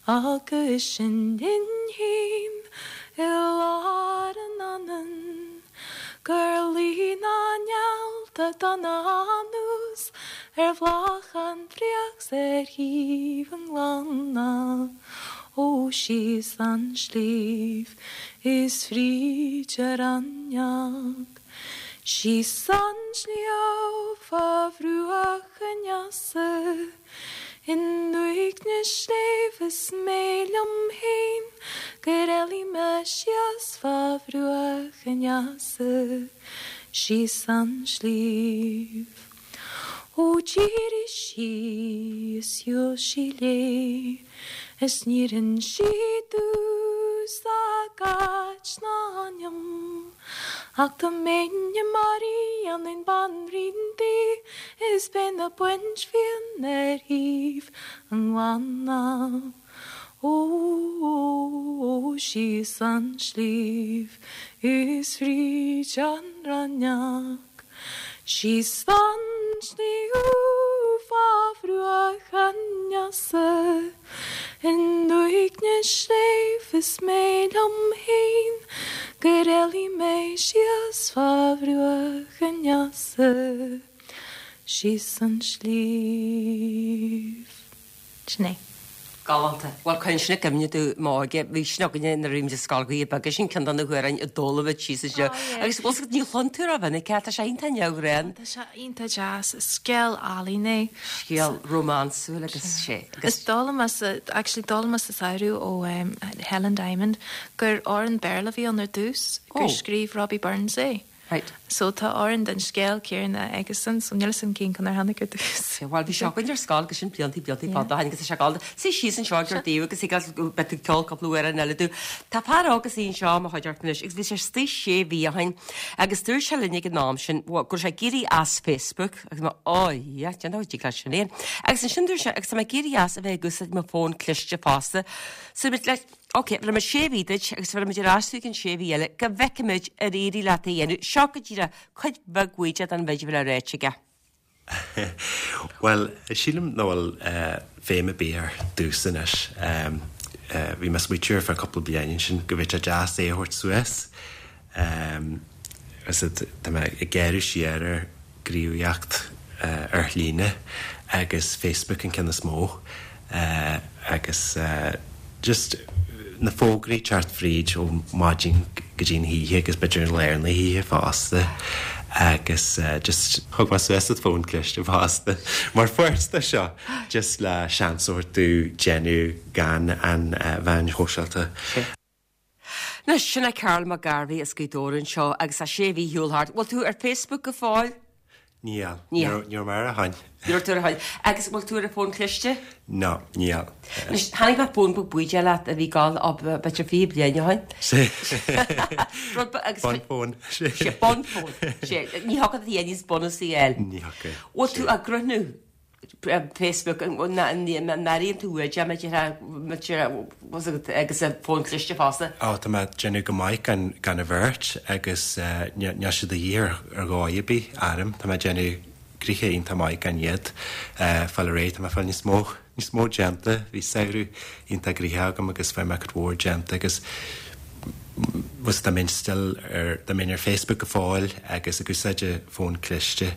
G: Agus sinn linn féin i lár an anainn Gur luigh na néalta donna anuas ar bhealach an bhfraoich 's ar thaobh an ghleanna Ó síos an sliabh is fríd an raineach Síos an sliabh fá bhruach an easa I ndúiche sléibhe is mé liom féin Gur éalaigh mé síos fá bhruach an easa Síos an sliabh. Ó d'éirigh sí is shiúil sí léi Is níor inis sí domhsa a áit ná a hainm Ach dá mbeinn i mo rí dhéanfainn banríon di Is bheinn ag baint fíon ar thaobh an ghleanna Ó síos an sliabh is fríd an raineach Síos an sliabh fá bhruach an easa I ndúiche sléibhe is mé liom féin Gur éalaigh mé síos fá bhruach an easa Síos an sliabh. Sin é.
A: Galánta. Bhuel, cuireann sin i gcuimhne domh m'óige. Bhí sin againne nuair a bhí muid i scoil Ghaoth Beaga, sin ceann de na hamhráin a d'fhoghlaim muid síos anseo. Agus bhfuil fhios agat, ní chluin tú rómhinic é, tá sé iontach neamhghnáth.
G: Tá sé iontach deas. Is scéal álainn é.
A: Scéal rómánsúil agus sé.
G: Is d'fhoghlaim mé sa, actually d'fhoghlaim mé sa samhradh ó Helen Diamond gur amhrán Béarla a bhí ann ar dtús, gur scríobh Robbie Burns é.
A: Right.
G: So tá amhrán den scéal céanna aigesan, so níl fhios agam cén ceann ar tháinig ar dtús.
A: Bhuel, bhí sé againn ar scoil agus sin blianta, blianta fada ó shin agus tá sé galánta. Suigh síos anseo ag ar dtaobh agus ag beidh tú ag ceol cúpla amhrán eile domh. Tá fear óg istigh anseo i mo chuideachta anois agus bhí sé istigh sé mhí ó shin agus dúirt sé linn ag an am sin go raibh sé ag éirí as Facebook agus mé oh yeah, déan dó dtig leat sin é. Agus ansin dúirt sé agus tá mé ag éirí as a bheith ag úsáid mo fón cliste fosta. So bhí le Ok, bhéarfaidh muid sé mhí duit agus bhéarfaidh muid ar ais thú i gcionn sé mhí eile go bhfeicfimid ar éirigh leat é a dhéanamh. Seo go díreach cuid bheag bhuíde den mhéid a bhí le ráit aige.
H: Bhuel, sílim nach bhfuil feidhm ar bith air domhsa anois. Bhí mé ag smaoitiú ar feadh cúpla bliain ansin go bhféadfadh sé deas é a thabhairt suas. Tá mé ag gearradh siar ar ghníomhaíocht ar líne agus Facebook an ceann is mó agus just na fógraí teacht fríd ó maidin go dtí an oíche agus b'fhéidir i lár na hoíche fosta agus just thug mé suas an fón cliste fosta mar pháirt de seo just le seans a thabhairt domh déanamh gan an mheáin shóisialta.
A: Anois, sin é Karl Mac Gairbheith as Gaoth Dobhair anseo agus tá sé mhí shiúl thart. Bhfuil tú ar Facebook go fóill?
H: Níl.
A: Níl.
H: Ní raibh mé air ó shin.
A: Ní raibh tú air ó shin. Agus bhfuil tú ar an bhfón cliste?
H: No, níl.
A: Anois, cheannaigh mé fón beag buidéil leat a bhí ag gabháil ó b'fhéidir fiche bliain ó shin.
H: Sé.
A: Rud be- agus
H: Bunfón.
A: Sé, bunfón. Sé, ní thiocfadh leat níos bunúsaí a fháil.
H: Ní thiocfadh.
A: Bhfuil tú ag cruthú Facebook, an n-airíonn tú uait é, agus an fón cliste fosta?
H: Ó, tá mé ag déanamh go maith gan gan a bheirt agus níl siad de dhíth ar ar dhóigh ar bith orm. Tá mé ag déanamh gnoithe iontach maith gan iad. Fáil réidh, tá mé ag fáil níos mó níos mó déanta. Bhí samhradh iontach gnoitheach agam agus fuair mé cuid mhór déanta agus bhfuil dá mbeinn still ar dá mbeinn ar Facebook go fóill agus ag úsáid an fón cliste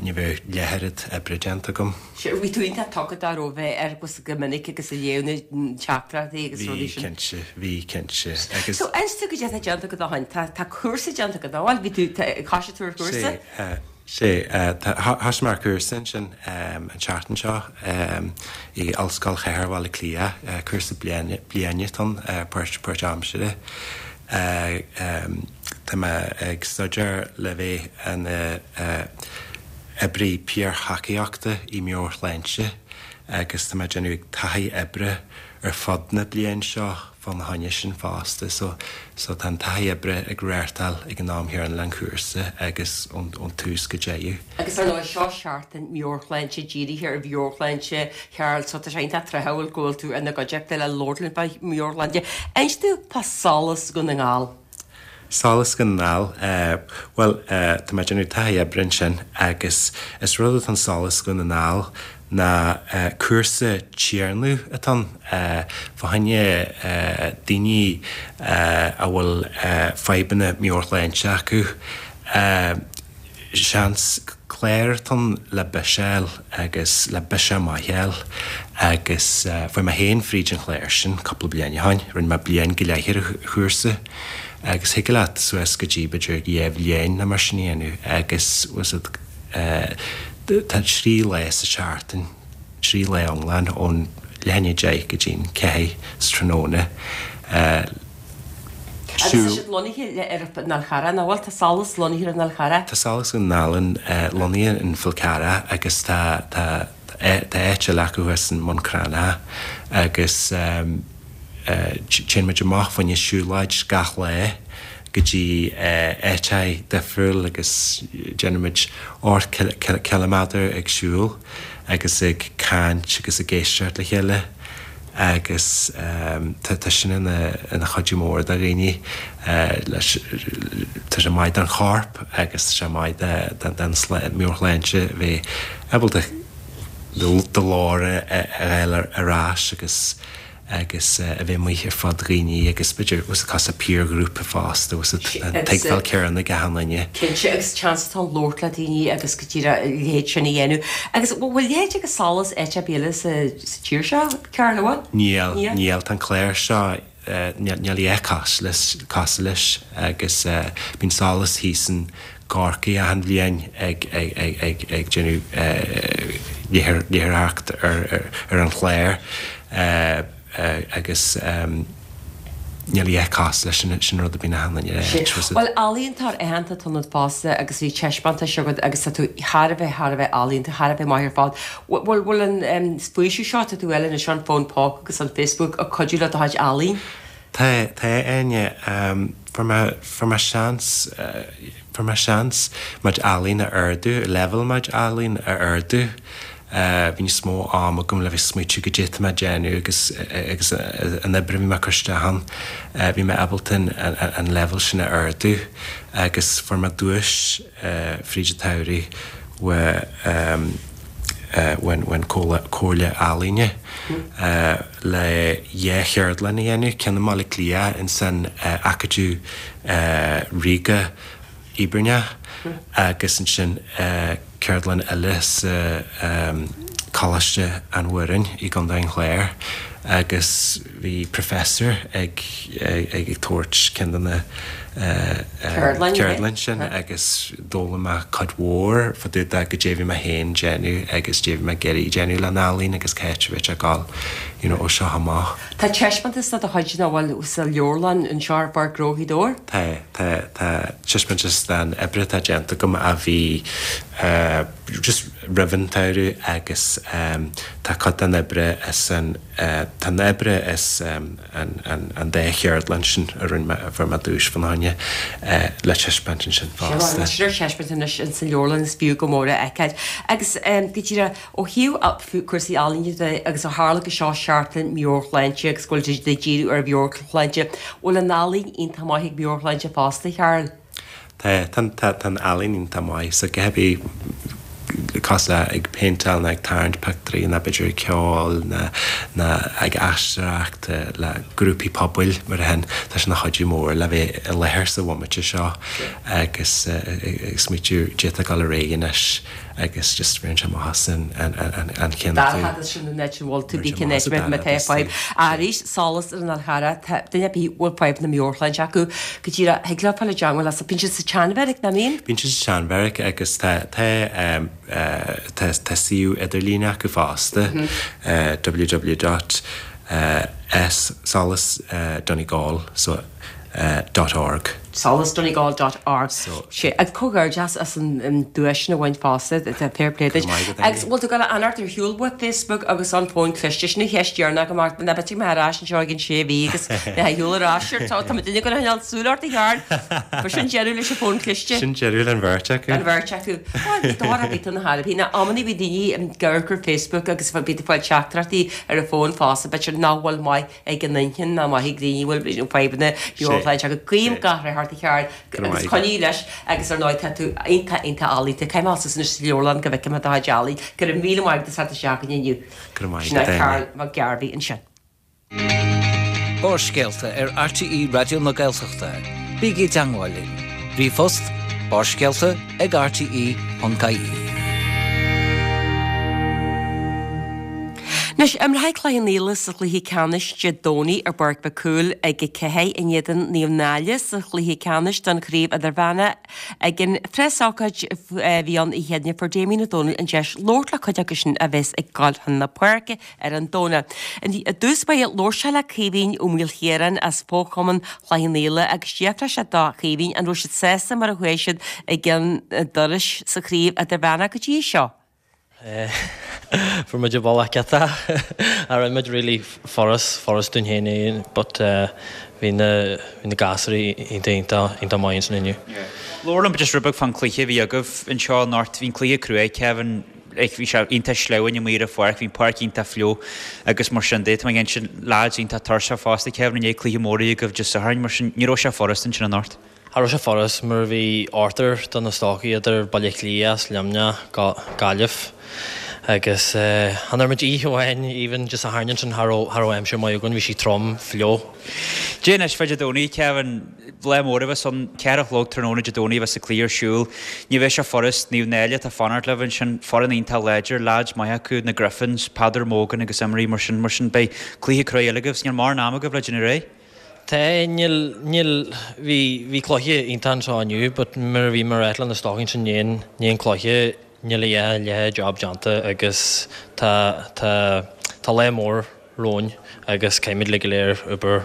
H: ní bheadh leath oiread oibre déanta agam.
A: Sure, bhí tú iontach tugtha dá raibh bheith ar agus go minic agus ag léamh na teachtaireachtaí agus rudaí
H: Bhí
A: sin.
H: cinnte, bhí cinnte agus.
A: So inis dúinn goidé atá déanta agat ó shin, tá tá cúrsa déanta agat, bhfuil bhí tú thosaigh tú ar chúrsa?
H: Sé, Sé, thosaigh mé ar cúrsa ansin an tseachtain seo i Ollscoil Chathair Bhaile Átha Cliath, cúrsa bliana atá ann, páirt páirtaimseartha. Tá mé ag staidéar le bheith ina oibrí piarthacaíochta i meabhairshláinte agus tá mé ag déanamh taithí oibre ar fud na bliain seo fána choinne sin fosta. So, so tá an taithí oibre ag reáchtáil ag an am chéanna le an cúrsa agus ón, ón tús go deireadh.
A: Agus ar ndóigh seo seachtain meabhairshláinte dírithe ar mheabhairshláinte Charl, so tá sé iontach tráthúil go bhfuil tú ina gcuideachta le labhairt linn fá mheabhairshláinte. Inis dúinn fá Solas Dhún na nGall.
H: Solas Dhún na nGall, bhuel, tá mé ag déanamh taithí oibre ansin agus is rud atá in Solas Dhún na nGall ná cúrsa téarnaimh atá ann fá choinne daoine a bhfuil fadhbanna meabhairshláinte acu. Seans clár atá ann le biseáil agus le biseach maith a fháil agus fuair mé féin fríd an chlár sin cúpla bliain ó shin, rinne mé bliain go leith ar an chúrsa agus thig leat suas go dtí b'fhéidir dhá bhliain nó mar sin a dhéanamh agus was it tá trí lá sa seachtain, trí lá iomlán ón leath i ndiaidh a deich go dtí an ceathair sa tráthnóna.
A: Agus tá siad lonnaithe ar an Fhál Charrach, nach bhfuil? Tá Solas lonnaithe ar an Fhál Charrach.
H: Tá Solas Dhún na nGall lonnaithe in Fál Carrach agus tá tá tá áit eile acu thuas in mBun Cranncha agus téann muid amach fá choinne siúlóid gach lá go dtí áiteacha difriúil agus déanaimid ocht ciliméadar ag siúl agus ag caint agus ag éisteacht le chéile agus tá sin ina ina chuidiú mór do dhaoine leis tá sé maith don chorp agus tá sé maith don meabhairshláinte bheith ábalta do ghlór a fháil ar ais agus agus a bheith amuigh ar fud dhaoine agus b'fhéidir was cosúil le piarghrúpa fosta was an tuigbheáil céanna ag achan duine.
A: Cinnte agus seans atá ann labhairt le daoine agus go díreach a leithéid sin a dhéanamh. Agus bhfuil a leithéid ag Solas áit ar bith eile sa tír seo, Carl, an bhfuil?
H: Níl, níl. Tá an clár seo, níl a dhath cosúil leis agus bíonn Solas thíos in gCorcaigh achan bhliain ag ag déanamh léitheoireacht ar an chlár agus níl a dhath cosúil leis, sin rud a bhíonn achan duine ag rá.
A: Bhuel, ealaíontóir aitheanta atá ionat fosta agus bhí taispeántais agat agus tá tú thar a bheith, thar a bheith ealaíonta, thar a bheith maith ar fad. Bhfuil, bhfuil an faoiseamh seo atá tú a fháil anois ar an bhfón póca agus an Facebook ag cuidiú le do chuid ealaín?
H: Tá, tá, Áine. Fuair mé, fuair mé seans, fuair mé seans mo chuid ealaín a ardú, leibhéal mo chuid ealaín a ardú. Bhí níos mó am agam le bheith ag smaoitiú goidé atá mé ag déanamh agus, agus an obair a bhí mé ag cur isteach ann. Bhí mé ábalta an, an leibhéal sin a ardú agus fuair mé duais fríd an tsamhraidh uaidh, ón Comhairle Ealaíne le dhá cheardlann a dhéanamh, ceann i mBaile Átha Cliath ins an Acadamh Ríoga Ibeirneach agus ansin ceardlann eile sa Coláiste an Mhúirne i gContae an Chláir agus bhí professor ag ag ag tabhairt ceann de na ceardlann sin agus d'fhoghlaim mé cuid mhór fá dtaobh de goidé a bhí mé féin déanamh agus goidé a bhí mé ag iarraidh déanamh le n-ealaín agus cá háit a bhí ag dul you know ó seo amach.
A: Tá taispeántas de do chuid nach bhfuil sa leabharlann anseo ar Pháirc Ghnó Ghaoth Dobhair?
H: Tá, tá, tá taispeántas den oibre atá déanta agam a bhí just roimh an tsamhradh agus tá cuid den oibre is an tá an oibre is an an an dá cheardlann sin a rinne mé a fuair mé duais fána choinne le taispeáint ansin
A: fosta. Sin ar taispeáint anois in san leabharlann is fiú go mór a fheiceáil. Agus go díreach ó thaobh cúrsaí ealaíne de agus ó tharla go seo seachtain meabhairshláinte agus go bhfuil siad ag díriú ar mheabhairshláinte, bhfuil an ealaín iontach maith ag meabhairshláinte fosta, Cheryl?
H: Tá, tá, tá an ealaín iontach maith so go háirithe cosúil le ag péinteáil nó ag tarraingt pictiúirí nó b'fhéidir ag ceol nó nó ag aisteoireacht le grúpaí pobail mar a shin, tá sé ina chuidiú mór le bheith i láthair sa bhomaite seo agus ag smaoitiú goidé atá ag dul ar aghaidh anois agus just rinne sé maitheas an an
A: chéanna. Dara sin an áit a bhfuil tú bí cin áit má tá fadhb. Arís solas ar an Fhál Charrach tá duine ar bith a bhfuil fadhb na meabhairshláinte acu go díreach thig leo fáil i dteangmháil leat. Bíonn siad sa tSeanbheairic, nach mbíonn?
H: Bíonn siad sa tSeanbheairic agus tá tá tá tá suíomh idirlíne acu fosta www dot s solas donegal so dot org.
A: solas donegal dot org. Sé agus comhghairdeas as an duais sin a bhaint fosta, tá fair play duit. Agus bhfuil tú ag dul a fhanacht ar shiúl uait Facebook agus an fón cliste? Sin an cheist dheireanach amach, ná beidh mé ar ais anseo ag an sé mhí agus mé ar shiúl ar ais ar tá tá duine ag coinneáil súil ort a Sheáin. Ba sin deireadh leis an fón cliste.
H: Sin deireadh len bheirt acu.
A: An bheirt acu. Bhuel, bhí dóra bhí tú na thairbhí. Na amannaí bhí daoine ag amharc ar Facebook agus bhí tú ag fáil teachtaireachtaí ar an bhfón fosta, b'fhéidir nach bhfuil maith ag an inchinn ná maith ag daoine a bhfuil fadhbanna meabhairshláinte acu. Guím gach rath ort a Sheáin agus coinnigh leis agus ar ndóigh tá tú iontach iontach ealaíonta. Caithfidh mé dul suas anois sa leabharlann go bhfeicfidh mé do chuid ealaín. Go raibh míle maith agat as teacht isteach chugainn inniu.
H: Go raibh maith
A: Sin é
H: agat,
A: Karl
H: Áine.
A: Mac Gairbhí ansin.
C: Barrscéalta ar RTÉ Raidió na Gaeltachta. Bígí i dteangmháil linn. Ríomhphost, barrscéalta ag rte ponc ie.
A: Anois, imreoidh Cloich Cheann Fhaola sa chluiche ceannais Dé Domhnaigh ar bPáirc Mhic Cumhaill ag a ceathair in éadan Naomh Náille sa chluiche ceannais don chraobh idirmheánach. Ag an phreasócáid a bhí ann oíche inné fuair Damien Ó Dónaill an deis labhairt le cuid acu sin a bheas ag dul chun na páirce ar an Domhnach. I dtús báire labhair sé le Caoimhín Ó Maoilchiaráin as Fo-Chumann Chloich Cheann Fhaola agus d'fhiafraigh sé do Chaoimhín an raibh siad sásta mar a chuaigh siad i gceann an dorais sa chraobh idirmheánach go dtí seo.
I: Fuair muid an bealach iontach. Cha raibh muid really furast, furast dúinn féin é but bhí na, bhí na gasúirí iontach, iontach, iontach maith ansin inniu.
J: Labhair liom just rud beag fán cluiche a bhí agaibh anseo anocht. Bhí an cluiche cruaidh, Kevin, like bhí sé iontach sleamhain amuigh ar an pháirc, bhí an páirc iontach fliuch agus mar sin de. Tá mé ag insint lads iontach tuirseach fosta, Kevin, i ndiaidh cluiche mór a bhí agaibh Dé Sathairn, mar sin ní raibh sé furast ansin anocht.
I: Cha raibh sé furast mar bhí ochtar de na stócaigh idir Baile Átha Cliath, Luimneach, Gaillimh agus chan fhuair muid oíche amháin even Dé Sathairn ansin cha raibh cha raibh aimsir maith againn, bhí sí trom, fliuch.
J: Dé anois fá Dé Domhnaigh, Kevin, lá mór a bheas ann, ceathair a chlog tráthnóna Dé Domhnaigh a bheas an cluiche ar siúl. Ní bheidh sé furast, Naomh Náille atá fanacht libh ansin, foireann iontach láidir, lads maith acu, na Griffins, Peadar Mogan agus imreoirí mar sin, mar sin beidh cluiche cruaidh eile agaibh, 's níl mórán ama agaibh le déanamh réidh.
I: Tá, níl, níl, bhí, bhí cluiche iontach anseo inniu but mar a bhí mé ag ráit le na stócaigh ansin i ndiaidh, i ndiaidh an cluiche, níl a leath, leath job déanta agus tá, tá, tá lá mór romhainn agus caithfimid uilig go léir obair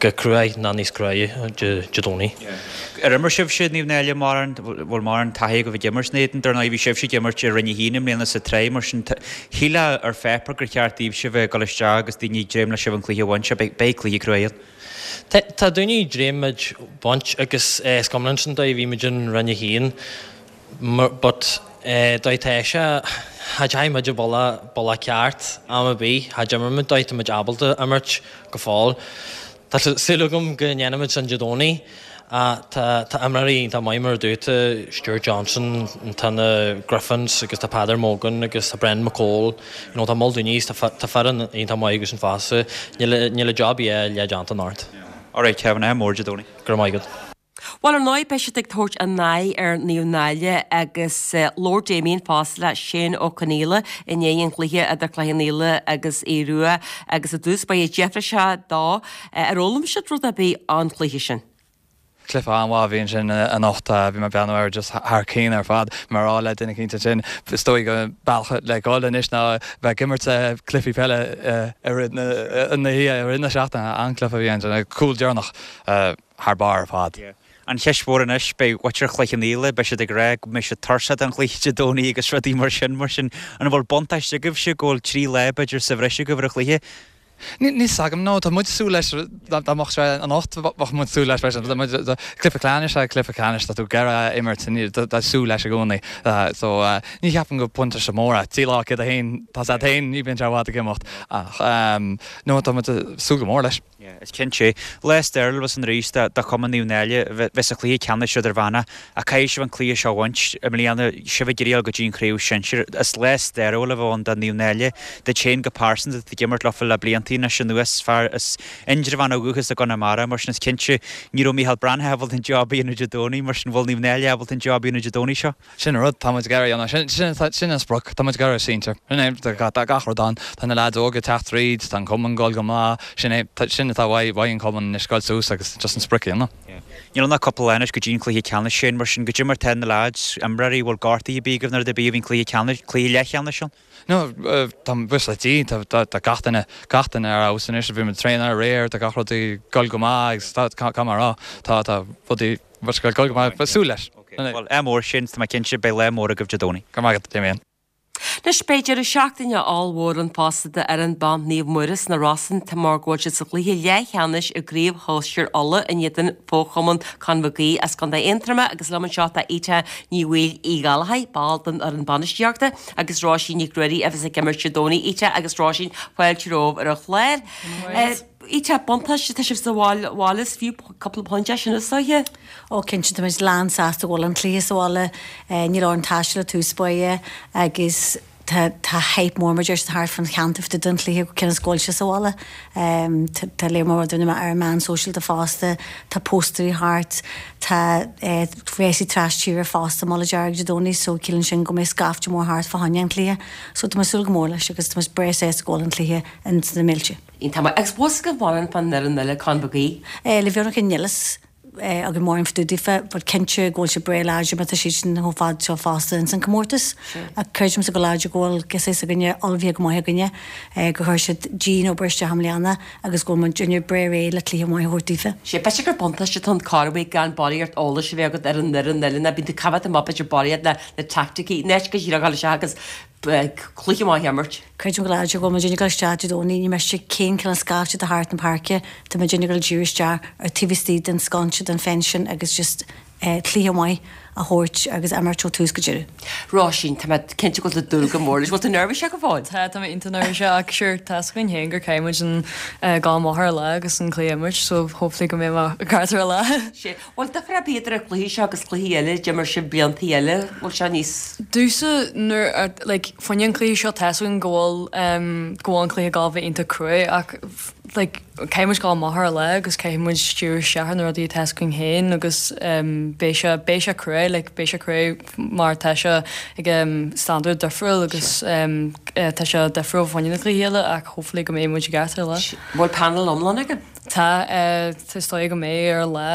I: go cruaidh ná níos cruaidhe Dé, Dé Domhnaigh.
J: Ar imir sibhse Naomh Náille mórán, bhfuil mórán taithí agaibh ag imirt ina éadan? Dar ndóigh bhí sibhse ag imirt i Roinn a haon i mbliana sa tsraith mar sin shílfeá ar pháipéar gur cheart daoibhse bheith ag dul isteach agus daoine ag dréim le sibh an cluiche a bhaint. Beidh, beidh cluiche cruaidh ann.
I: Tá daoine ag dréim muid baint agus is cuma linn sin dóigh bhí muid in Roinn a haon but dóigh tá sé cha dteachaigh muid an bealach bealach ceart am ar bith cha d'imir muid dóigh tá muid ábalta imirt go fóill. Tá súil agam go ndéanfaimid sin Dé Domhnaigh. Tá tá imreoirí iontach maith mar a dúirt tú, Stuart Johnson, tá na Griffins agus tá Peadar Mogan agus tá Brendan McCole, you know tá moll daoine tá tá foireann iontach maith acu sin fosta. Níl níl an job leath déanta anocht.
J: Alright Kevin, ádh mór Dé Domhnaigh.
I: Go raibh maith agat.
A: Bhuel, ar ndóigh, beidh siad ag tabhairt a n-aghaidh ar Naomh Náille agus labhair Damien fosta le Shane Ó Conaola i ndiaidh an chluiche idir Cloich Cheann Fhaola agus Aodh Rua agus i dtús báire d'fhiafraigh sé dó ar fhoghlaim siad rud ar bith ón chluiche sin.
K: Cluiche an-mhaith a bhí ansin anocht, bhí mé ag breathnú air just thar cionn ar fad. Mar a rá le duine eicínt ansin, is dóigh go bealach le dhul anois ná bheith ag imirt cluichí peile i rith na hoíche, i rith na seachtaine. An-chluiche a bhí ansin, cúl deireanach thar barr ar fad.
J: An cheist mhór anois, beidh muintir Chloich Cheann Fhaola, beidh siad ag rá go mbeidh siad tuirseach den chluiche Dé Domhnaigh agus rudaí mar sin, mar sin an bhfuil buntáiste agaibhse go bhfuil trí lá b'fhéidir sa bhreis agaibh ar an chluiche?
K: Níl fhios agam, no, tá muid ag súil leis, dá mbeadh sé anocht, bheadh muid ag súil leis freisin. Cluiche ceannais, cluiche ceannais, tá tú ag iarraidh a imirt, tá súil leis i gcónaí. So, ní cheapaim go buntáiste mór é. Trí lá céad a haon, tá sé féin, ní bhíonn sé i bhfad ag imeacht. Ach, no, tá muid ag súil go mór leis.
J: Yeah, is cinnte. Lá stairiúil a bheas ann arís do chumann Naomh Náille bheith sa chluiche ceannais idirmheánach ach caithfidh sibh an cluiche seo a bhaint i mbliana, sibh ag iarraidh dul go dtí an chraobh shinsir. Is lá stairiúil a bheadh ann do Naomh Náille, duit féin go pearsanta, tú ag imirt leofa le blianta anois anuas, fear as Indreabhán ó dhúchas i gConamara, mar sin is cinnte ní raibh Micheál Breathnach ábalta an job a dhéanamh Dé Domhnaigh, mar sin bhfuil Naomh Náille ábalta an job a dhéanamh Dé Domhnaigh seo?
K: Sin an rud, tá muid ag iarraidh a dhéanamh, sin, sin an sprioc, tá muid ag iarraidh sinsir. Sin é, tá gach rud ann, tá na leaids óga ag teacht tríd, tá an cumann ag dul go maith, sin é, sin atá uaidh, uaidh an cumann anois dul suas agus just an sprioc a dhéanamh.
J: Níl ann ach cúpla lá anois go dtí an cluiche ceannais sin, mar sin goidé mar tá na leaids, imreoirí, bhfuil gortaithe ar bith agaibh nó rud ar bith faoin cluiche ceannais, cluiche leathcheannais ann?
K: No, tá buíochas le Dia, tá, tá gach duine, gach duine ar fheabhas anois, bhí muid ag traenáil aréir, tá gach rud ag dul go maith agus tá, caithfidh mé a rá, tá, tá rudaí, ag dul go maith, súil leis.
J: Bhuel, ádh mór Shane, tá mé cinnte, beidh lá mór agaibh Dé Domhnaigh.
K: Go raibh maith agat, Damien.
A: Anois beidh deireadh seachtaine ollmhór ann fosta d'fhoireann ban Naomh Muire sna Rosann mar go bhfuil siad sa chluiche leathcheannais i gCraobh Shóisir Uladh in éadan fho-chumann Con Mhic Aoidh as Contae Aontroma agus liom anseo tá Ita Ní Bhaoill Uí Ghallchóir, ball den fhoireann bainistíochta, agus Róisín Nic Ruairí a bheas ag imirt Dé Domhnaigh. Ita agus Róisín, fáilte romhaibh ar an chlár. Ita, buntáiste, tá sibh sa bhaile, is fiú cúpla pointe é sin is dóiche?
L: Ó cinnte, tá muid lán sásta go bhfuil an cluiche sa bhaile, níl orainn taisteal i dtús báire agus tá tá hype mór mar deir siad thart fán cheantar fá dtaobh den chluiche cionn is go bhfuil sé sa bhaile. Tá léar mór daoine ar an meán sóisialta fosta, tá póstaerí thart, tá rásaí tras tíre fosta i mBaile Dearg Dé Domhnaigh so ciallaíonn sin go mbeidh scaifte mór thart fá choinne an chluiche. So tá muid ag súil go mór leis agus tá muid breá sásta go bhfuil an cluiche ins na mílte.
A: Iontach maith. Agus bhfuil fhios agaibh mórán fán fhoireann eile, Con Mhic Aoidh?
L: Le bheag níl fhios againn mórán fá dtaobh daofa but cinnte go bhfuil siad breá láidir mar tá siad sin chomh fada seo fosta ins an comórtas. Ach creidimse go láidir go bhfuil saghas againne ullmhaithe go maith againne, gur chuir siad dian-obair isteach i mbliana agus go bhfuil muidinne breá réidh le cluiche maith a thabhairt daofa.
A: Sea, b'fhéidir gur buntáiste atá ann corruair gan barraíocht eolais a bheith agat ar an fhoireann eile ná bíonn tú coimhéad amach b'fhéidir barraíocht le na teaicticí, in áit go díreach a dhul isteach agus cluiche maith a imirt.
L: Creidim go láidir go bhfuil muidinne ag dul isteach Dé Domhnaigh, ní miste cén cineál scaifte atá thart na páirce, tá muidinne ag dul díriú isteach ar taobh istigh den sconsa, den fence sin agus just cluiche maith a thabhairt agus imirt ó tús go deireadh.
A: Róisín, tá mé cinnte go bhfuil tú ag dúil go mór leis. Bhfuil tú neirbhíseach go fóill?
M: Tá, tá mé iontach neirbhíseach ach sure tá fhios againn féin gur caithfidh muid an dul amach ar an lá agus an cluiche a imirt so hopefully go mbeidh mé ceart ar an lá.
A: Sea. Bhfuil difear ar bith idir an cluiche seo agus cluichí eile a d'imir sibh bliantaí eile? Bhfuil sé níos.
M: Domhsa nuair a like fá choinne an cluiche seo tá's againn go bhfuil em go bhfuil an cluiche ag gabháil a bheith iontach cruaidh ach like caithfidh muid dul amach ar an lá agus caithfidh muid díriú isteach ar na rudaí atá fhios againn féin agus em beidh sé beidh sé cruaidh like beidh sé cruaidh mar tá sé ag em standard difriúil agus em eh tá sé difriúil fá choinne na cluichí eile ach hopefully go mbeidh muid i gceart ar an lá.
A: Bhfuil panel iomlán agaibh?
M: Tá, is dóigh go mbeidh ar an lá.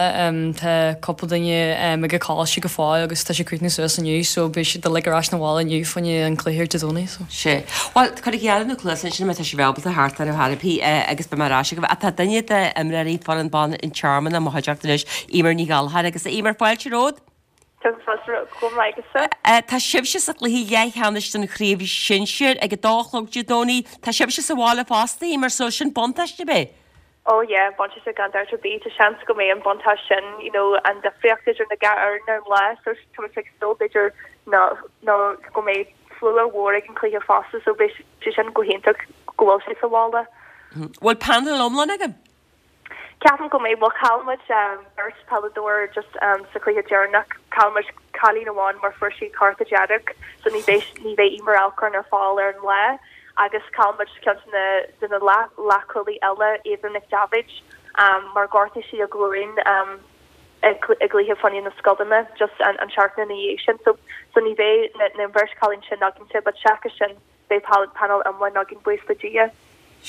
M: Tá cúpla duine ag an choláiste go fóill agus tá siad ag críochnú suas inniu so beidh siad uilig ar ais 'na bhaile inniu fá choinne an cluiche ar Dé Domhnaigh so.
A: Sea. Bhuel, cuirigí aire na cluasa ansin má tá sibh ábalta theacht ar chor ar bith agus beidh mé ar ais agaibh. Ach tá duine d'imreoirí foireann ban an Tearmann i mo chuideachta anois, Eimear Ní Ghallchóir agus a Eimear, fáilte romhat!
N: Go raibh maith agatsa.
A: Tá sibhse sa chluiche leathcheannais den chraobh shinsir ag a dó a chlog Dé Domhnaigh. Tá sibhse sa bhaile fosta, Eimear, so sin buntáiste, ab é?
N: Oh yeah, buntáiste gan dabht ar bith. Tá seans go mbeidh an buntáiste sin, you know, an difríocht idir na dhá fhoireann ar an lá so tá muid ag súil b'fhéidir nó nó go mbeidh slua mhór ag an cluiche fosta so beidh sé sin go hiontach go bhfuil sé sa bhaile.
A: Bhfuil panel iomlán agaibh?
N: Ceapaim go mbeidh, bhuel chaill muid beirt peileadóir just sa chluiche deireanach, chaill muid cailín amháin mar fuair sí cárta dearg so ní bheidh ní bheidh Eimear Alcorn ar fáil ar an lá agus chaill muid ceann de na de na leath leathchúlaí eile, Ava Nic Daibhéid, mar gortaigh sí a glúin i gcluiche fá choinne na scoileanna just an an seachtain ina dhiaidh sin so so ní bheidh na na bheirt cailín sin againne but seachas sin beidh panel iomlán againn buíochas le Dia.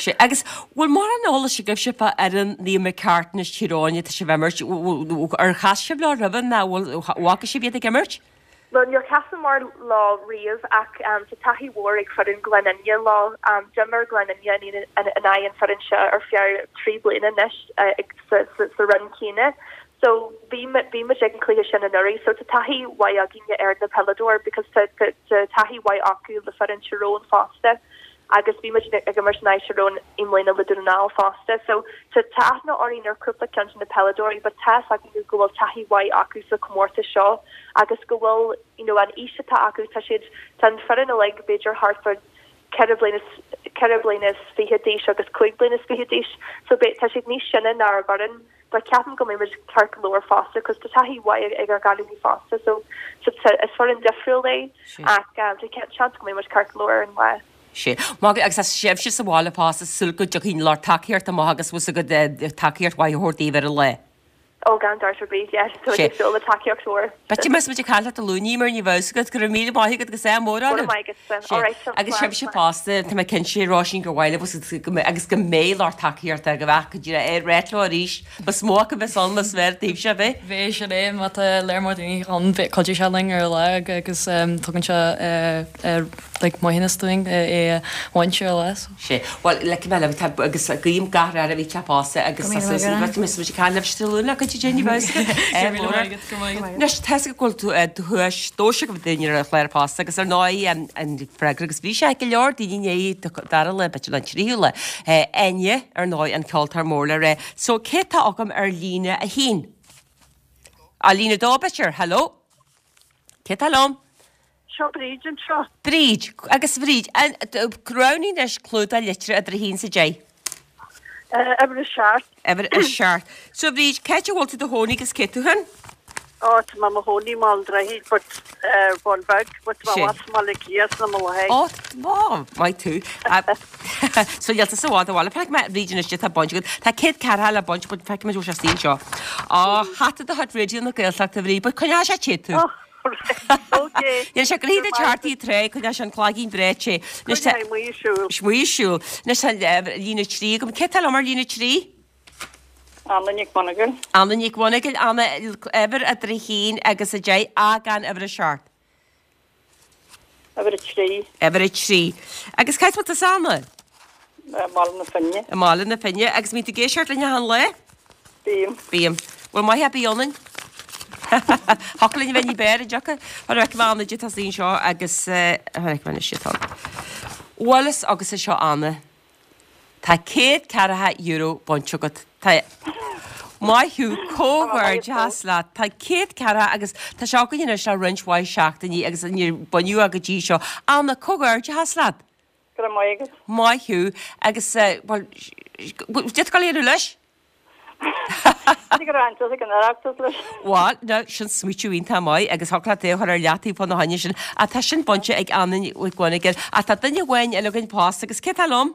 A: Sea, agus bhfuil mórán eolais agaibhse fá fhoireann Naomh Macartan is Tír Eoghain atá sibh ag imirt, ar chas sibh leo roimhe nó bhfuil bhfaca sibh iad ag imirt?
N: Bhuel, níor chasamar leo riamh ach tá taithí mhór ag foireann Ghleann Fhinne leo. D'imir Gleann Fhinne in aghaidh an foireann seo ar feadh trí bliana anois sa roinn céanna. So bhí bhí muid ag an cluiche sin anuraidh. So tá taithí mhaith againne ar na peileadóir because tá taithí mhaith acu le foireann Tyrone fosta. agus bhí muid ag imirt in aghaidh Tyrone i mbliana le Dún na nGall fosta. So tá aithne orainn ar cúpla ceann de na peileadóirí, but tá a fhios againn go bhfuil taithí mhaith acu sa chomórtas seo agus go bhfuil you know an aois atá acu tá siad tá an foireann uilig b'fhéidir thart fá ceithre bliana ceithre bliana is fiche d'aois agus cúig bliana is fiche d'aois so tá siad níos sine ná ár bhfoireann but ceapaim go mbeidh muid ceart go leor fosta cos tá taithí mhaith ag ár gcailíní fosta so so is foireann difriúil é ach um, tá seans go mbeidh muid ceart go leor ar an lá.
A: Sea. Maith agus tá sibhse sa bhaile fosta ag súil go dtiocfaidh an lucht tacaíochta amach agus bhfuil a fhios agat tacaíocht mhaith a thabhairt daoibh ar an lá.
N: Ó gan dabht ar bith, yes, tá muid ag súil le tacaíocht mhór.
A: B'fhéidir más muid ag caint leat Dé Luain mar ní bheadh a fhios agat go raibh míle maith agat agus ádh mór
N: Go raibh maith agatsa.
A: All right, Agus sibhse fosta, tá mé cinnte Róisín gur mhaith libh go mbeidh agus go mbeidh lucht tacaíochta go bheadh go dtí ar réit leo arís. Más mó acu bheas ann más fearr daoibhse a bheith.
M: Bheadh sin é má tá léir mór daoine ann cuideoidh sé linn ar an lá agus tugann sé like maoithneas dúinn é a bhaint ar an lá.
A: Sea. Bhuel, le cibé libh, tá agus guím gach rath oraibh tá fosta agus
M: Go míle maith agat.
A: Tá muid ag caint libh Dé Luain le cuid de ní bheadh a fhios agat.
M: Go raibh maith agat.
A: Anois, tá a fhios agat go bhfuil tú duais duais agaibh daoine ar an chlár fosta agus ar ndóigh an freagra agus bhí sé ag go leor daoine i ndiaidh dara lá, b'fhéidir an tríú lá. Enya, ar ndóigh, an ceoltóir mór le rá. So, cé tá agam ar líne a haon? Á, líne a dó, b'fhéidir. Hello? Cé tá liom?
O: Seo Bríd anseo.
A: Bríd, agus Bhríd, roghnaigh anois clúdach litreach idir a haon is a deich.
O: Uimhir a seacht.
A: Uimhir a seacht. So Bhríd, cá háit a bhfuil tú i do chónaí agus cé tú féin?
O: Ó, tá mé i mo chónaí i mBaile an Droichid, but Bhaile Beag, but tá mé i mBaile Átha Cliath sna mo láthair.
A: Ó, ó, maith tú. So níl tusa i bhfad ó bhaile. Feicfidh mé Bhríd anois tá baint agat. Tá céad ceathracha le baint, but feicfidh muid bhfuil sé istigh anseo. Ó, hata de chuid Raidió na Gaeltachta, Bhríd, but coinneoidh sé te tú. Níl sé gnoitheach duit thart í tré, coinneoidh sé an cloigeann breá te. Anois tá.
O: Coinneoidh amuigh ag siúl.
A: Amuigh ag siúl. Anois tá líne trí agam. Cé tá liom ar líne trí?
O: Anna Nic Mhonagail.
A: Anna Nic Mhonagail, Anna, uimhir idir a haon agus a deich, ach gan uimhir a seacht.
O: Uimhir a trí.
A: Uimhir a trí. Agus cá háit a bhfuil tusa, Anna?
O: I mBaile na Finne.
A: I mBaile na Finne. Agus mbíonn tú ag éisteacht linn achan lá?
O: Bím.
A: Bím. Bhuel, maith a bí ionainn. Thiocfadh linn a bheith ní b'fhearr, an dtiocfadh? Mar a fheicim Anna di tosaí anseo agus mar a fheicim anois atá. Bhuel is agus é seo Anna. Tá céad ceathracha euro bainte agat. Tá Maith thú, comhghairdeas leat. Tá céad ceathracha agus tá sé againn anois le roinnt mhaith seachtainí agus níor baineadh é go dtí seo. Anna, comhghairdeas leat.
O: Go raibh maith agat.
A: Maith thú. Agus, bhuel, cad tá tú ag dul a dhéanamh leis?
O: B'fhéidir go raibh ag an Oireachtas leis.
A: Bhuel, now, sin smaoitiú iontach maith agus thiocfadh leat é a chur ar leataobh fána choinne sin. Ach tá sin bainte ag Anna Nic Mhonagail. Ach tá duine amháin eile againn fosta agus cé tá liom?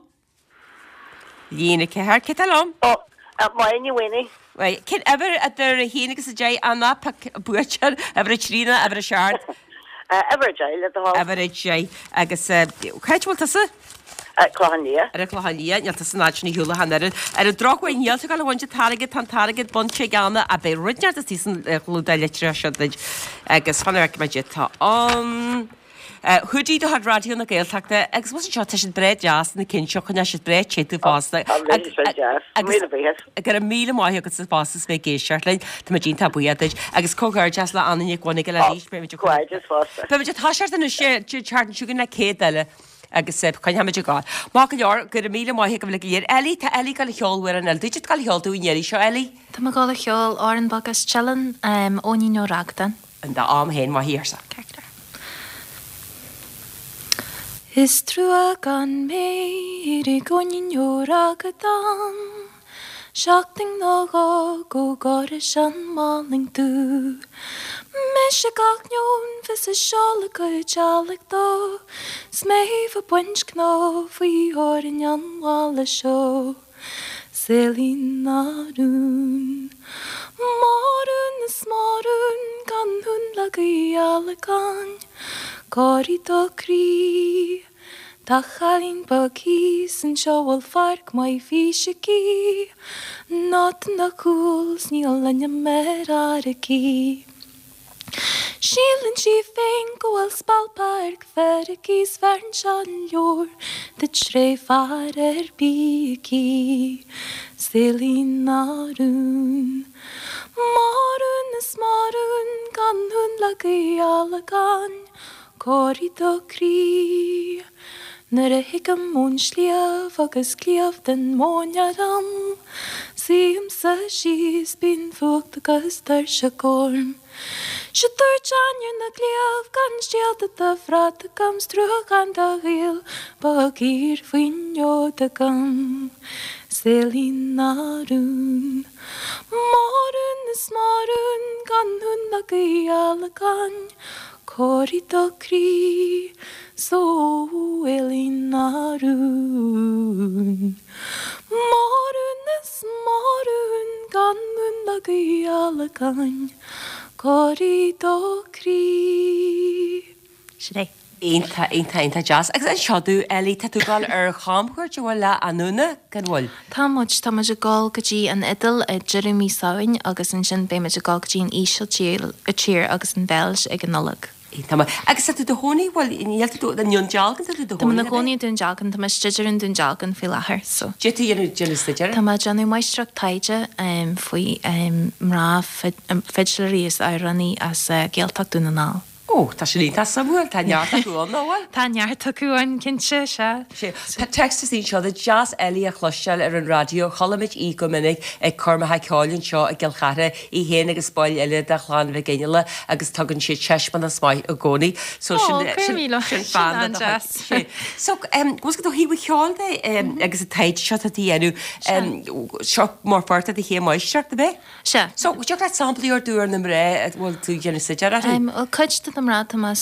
A: Líne ceathair, cé tá liom?
O: Ó, Máire Ní Mhaonaigh.
A: Right, cén uimhir idir a haon agus a deich, Anna, pioc buaiteoir, uimhir a trí nó uimhir a seacht?
O: Uimhir a deich, le do thoil.
A: Uimhir a deich. Agus cá háit a bhfuil tusa?
O: Clochán Liath.
A: Ar an Chlochán Liath, níl tusa an fhad sin ar shiúl ach an oiread. Ar an drochuair, níl tú ag gabháil a bhaint an t-airgead, tá an t-airgead bainte ag Anna, ach beidh rud inteacht istigh san chlúdach litreach seo duit. Agus fan go bhfeicfidh mé cad tá ann. Hoodie de chuid Raidió na Gaeltachta agus bhuel anseo tá siad breá deas na cinn seo coinneoidh siad breá te tú fosta.
O: Tá siad deas.
A: Agus
O: Míle buíochas.
A: go raibh míle maith agat fosta as bheith ag éisteacht linn. Tá muid iontach buíoch duit. Agus comhghairdeas le Anna Nic Mhonagail arís. Beidh muid ag
O: Comhghairdeas fosta.
A: Beidh muid ag toiseacht anois an tseachtain seo chugainn le céad eile agus coinneoidh muid ag gabháil. Maith go leor, go raibh míle maith agaibh uilig go léir. Ellie, tá Ellie ag gabháil a cheol amhrán eile. Duit ag gabháil a cheol dúinn an iarraidh seo, Ellie?
G: Tá mé ag gabháil a cheol Amhrán Beag as Teileann, Eoinín Ó Ragdáin.
A: In d'am féin, maith í, arsa.
G: Ceart go leor. Is trua gan méir ag Eoinín Ó Ragdáin, Seachtain nó dhó go gcuirfidh an Málainn Dubh. Mise gach neoin fios a seoladh go teallaigh dó, 's mé ag baint cnó faoi theorainn an bhaile seo. Saolín ná rún. Mo rún is mo rún gan thú le Gaelainn, Corraigh do chroí. Tá cailín beag thíos anseo a bhfuil pháirc mhaith fís aici, Not ina cúl 's níl ainm ar fhear aici. Síleann sí féin go bhfuil spalpadh ar fear aici 's bheireann seo an leabhar duit tré fear ar bith aici. Saoilín na rún. Mo rún is mo rún gan thú le Gaelainn, Corraigh do chroí. Nuair a thigim ón sliabh agus cliabh den mhóin orm, Suímse síos, bíonn fuacht agus tuirseach orm. 'Se dúirt ainnir na gcliabh gan stiall de do bhrat agam 's trua gan do ghaol beag thiar faoin fhód agam. Saoilín na rún. Mo rún is mo rún gan thú le Gaelainn, Corraigh do chroí, saoilín na rún. Mo rún is mo rún gan thú le Gaelainn, Corraigh do chroí. Sin é.
A: Iontach, iontach, iontach deas. Agus anseo tú, Ellie, tá tú ag dul ar chamchuairt an bhfuil le Anúna, gan bhfuil?
G: Tá muid, tá muid ag dul go dtí an Iodáil i deireadh mí Samhain agus ansin beidh muid ag dul go dtí an Ísiltír tír agus an Bheilg ag an Nollaig.
A: Iontach maith. Agus tá tú do chónaí, bhfuil, níl tú do, i nDún Dealgan tá tú do
G: Tá mé
A: chónaí,
G: i mo chónaí i nDún Dealgan, tá mé ag staidéar i nDún Dealgan faoi láthair, so.
A: Cad é tú dhéanamh, déanamh staidéir?
G: Tá mé ag déanamh máistreacht taighde faoi mná fidléirí is amhránaí as Gaeltacht Dún na nGall.
A: Ó, tá sin iontach suimiúil, tá neart acu ann, nach bhfuil?
G: Tá neart acu ann, cinnte, sea.
A: Sea. Tá text is anseo, tá deas Ellie a chloisteáil ar an raidió, chuala muid í go minic ag coirmeacha ceoil anseo i gCill Chartha, í féin agus baill eile de Chlann Mhic Fhionnghaile agus tugann siad taispeántas maith i gcónaí. So
G: Ó,
A: sin,
G: go raibh
A: sin,
G: míle,
A: sin
G: sin
A: bean do
G: an-deas.
A: Sea. So, em, bhfuil ó thaobh an cheoil de, em, agus an taighde seo atá tú a dhéanamh, em, seo mar pháirt de do chéim máistreachta, ab é?
G: Sea.
A: So, dtiocfadh leat samplaí a thabhairt dúinn ar na mná a bhfuil tú ag déanamh staidéir orthu?
G: Um, well, cuid de na mná tá mé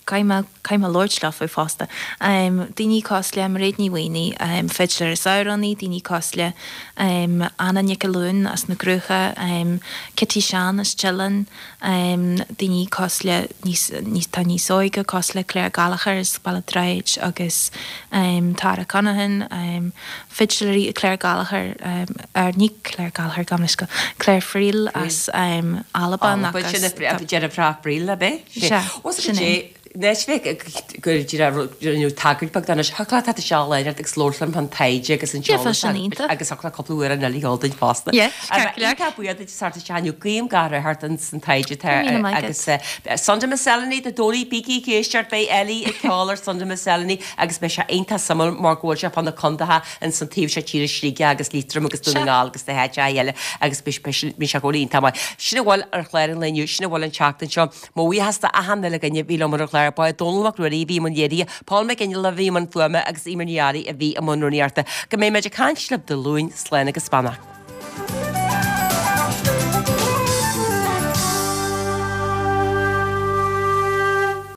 G: caithfidh mé caithfidh mé labhairt leofa fosta. Um, daoine cosúil le Mairéad Ní Mhaonaigh, um, fidléir is amhránaí, daoine cosúil le um, Anna Nic Luain as na Cruacha, um, Kitty Sean as Teileann, um, daoine cosúil le níos, níos, tá níos óige cosúil le Claire Gallagher as Baile Droichid agus um, Tara Conaghan, um, fidléirí Claire Gallagher, um, ar ní Claire Gallagher gabh mo leithscéal, Claire Friel as um, Albain
A: Albain,
G: agus
A: sin a deirfiúr Friel ab é?
G: Sea,
A: Os
G: sin é.
A: Anois bheith gur rinneadh tagairt beag anois, thiocfadh leat isteach láithreach agus labhairt liom fán taighde agus an
G: Yeah,
A: t-eolas
G: sin iontach.
A: agus thiocfadh leat cúpla uair an eile a sheol duit fosta.
G: Yeah, ceart go leor.
A: Iontach buíoch duit as teacht isteach inniu, guím gach rath ort ins an taighde atá
G: Go míle maith agat.
A: agus eh, Sunday Miscellany Dé Domhnaigh bígí ag éisteacht beidh Ellie ag ceol ar Sunday Miscellany agus beidh sé iontach suimiúil mar go bhfuil sé fá na contaetha ins an taobh seo tíre Sligeach agus Liatroim agus Dún na
G: Sea.
A: nGall agus na háiteacha eile agus beidh sé bhí sé go iontach maith. Sin a bhfuil ar chlár an lae inniu, sin a bhfuil an tseachtain seo. Mo bhuíochas d'achan uile dhuine a bhí liom ar an chlár, ba é Dónal Mac Ruairí a bhí i mbun léirithe, Paul Mac Fhionnghaile a bhí i mbun fuaime agus Emer Ní Fhearraigh a bhí i mbun rúnaíochta. Go mbeidh muid ag caint libh Dé Luain, slán agus beannacht.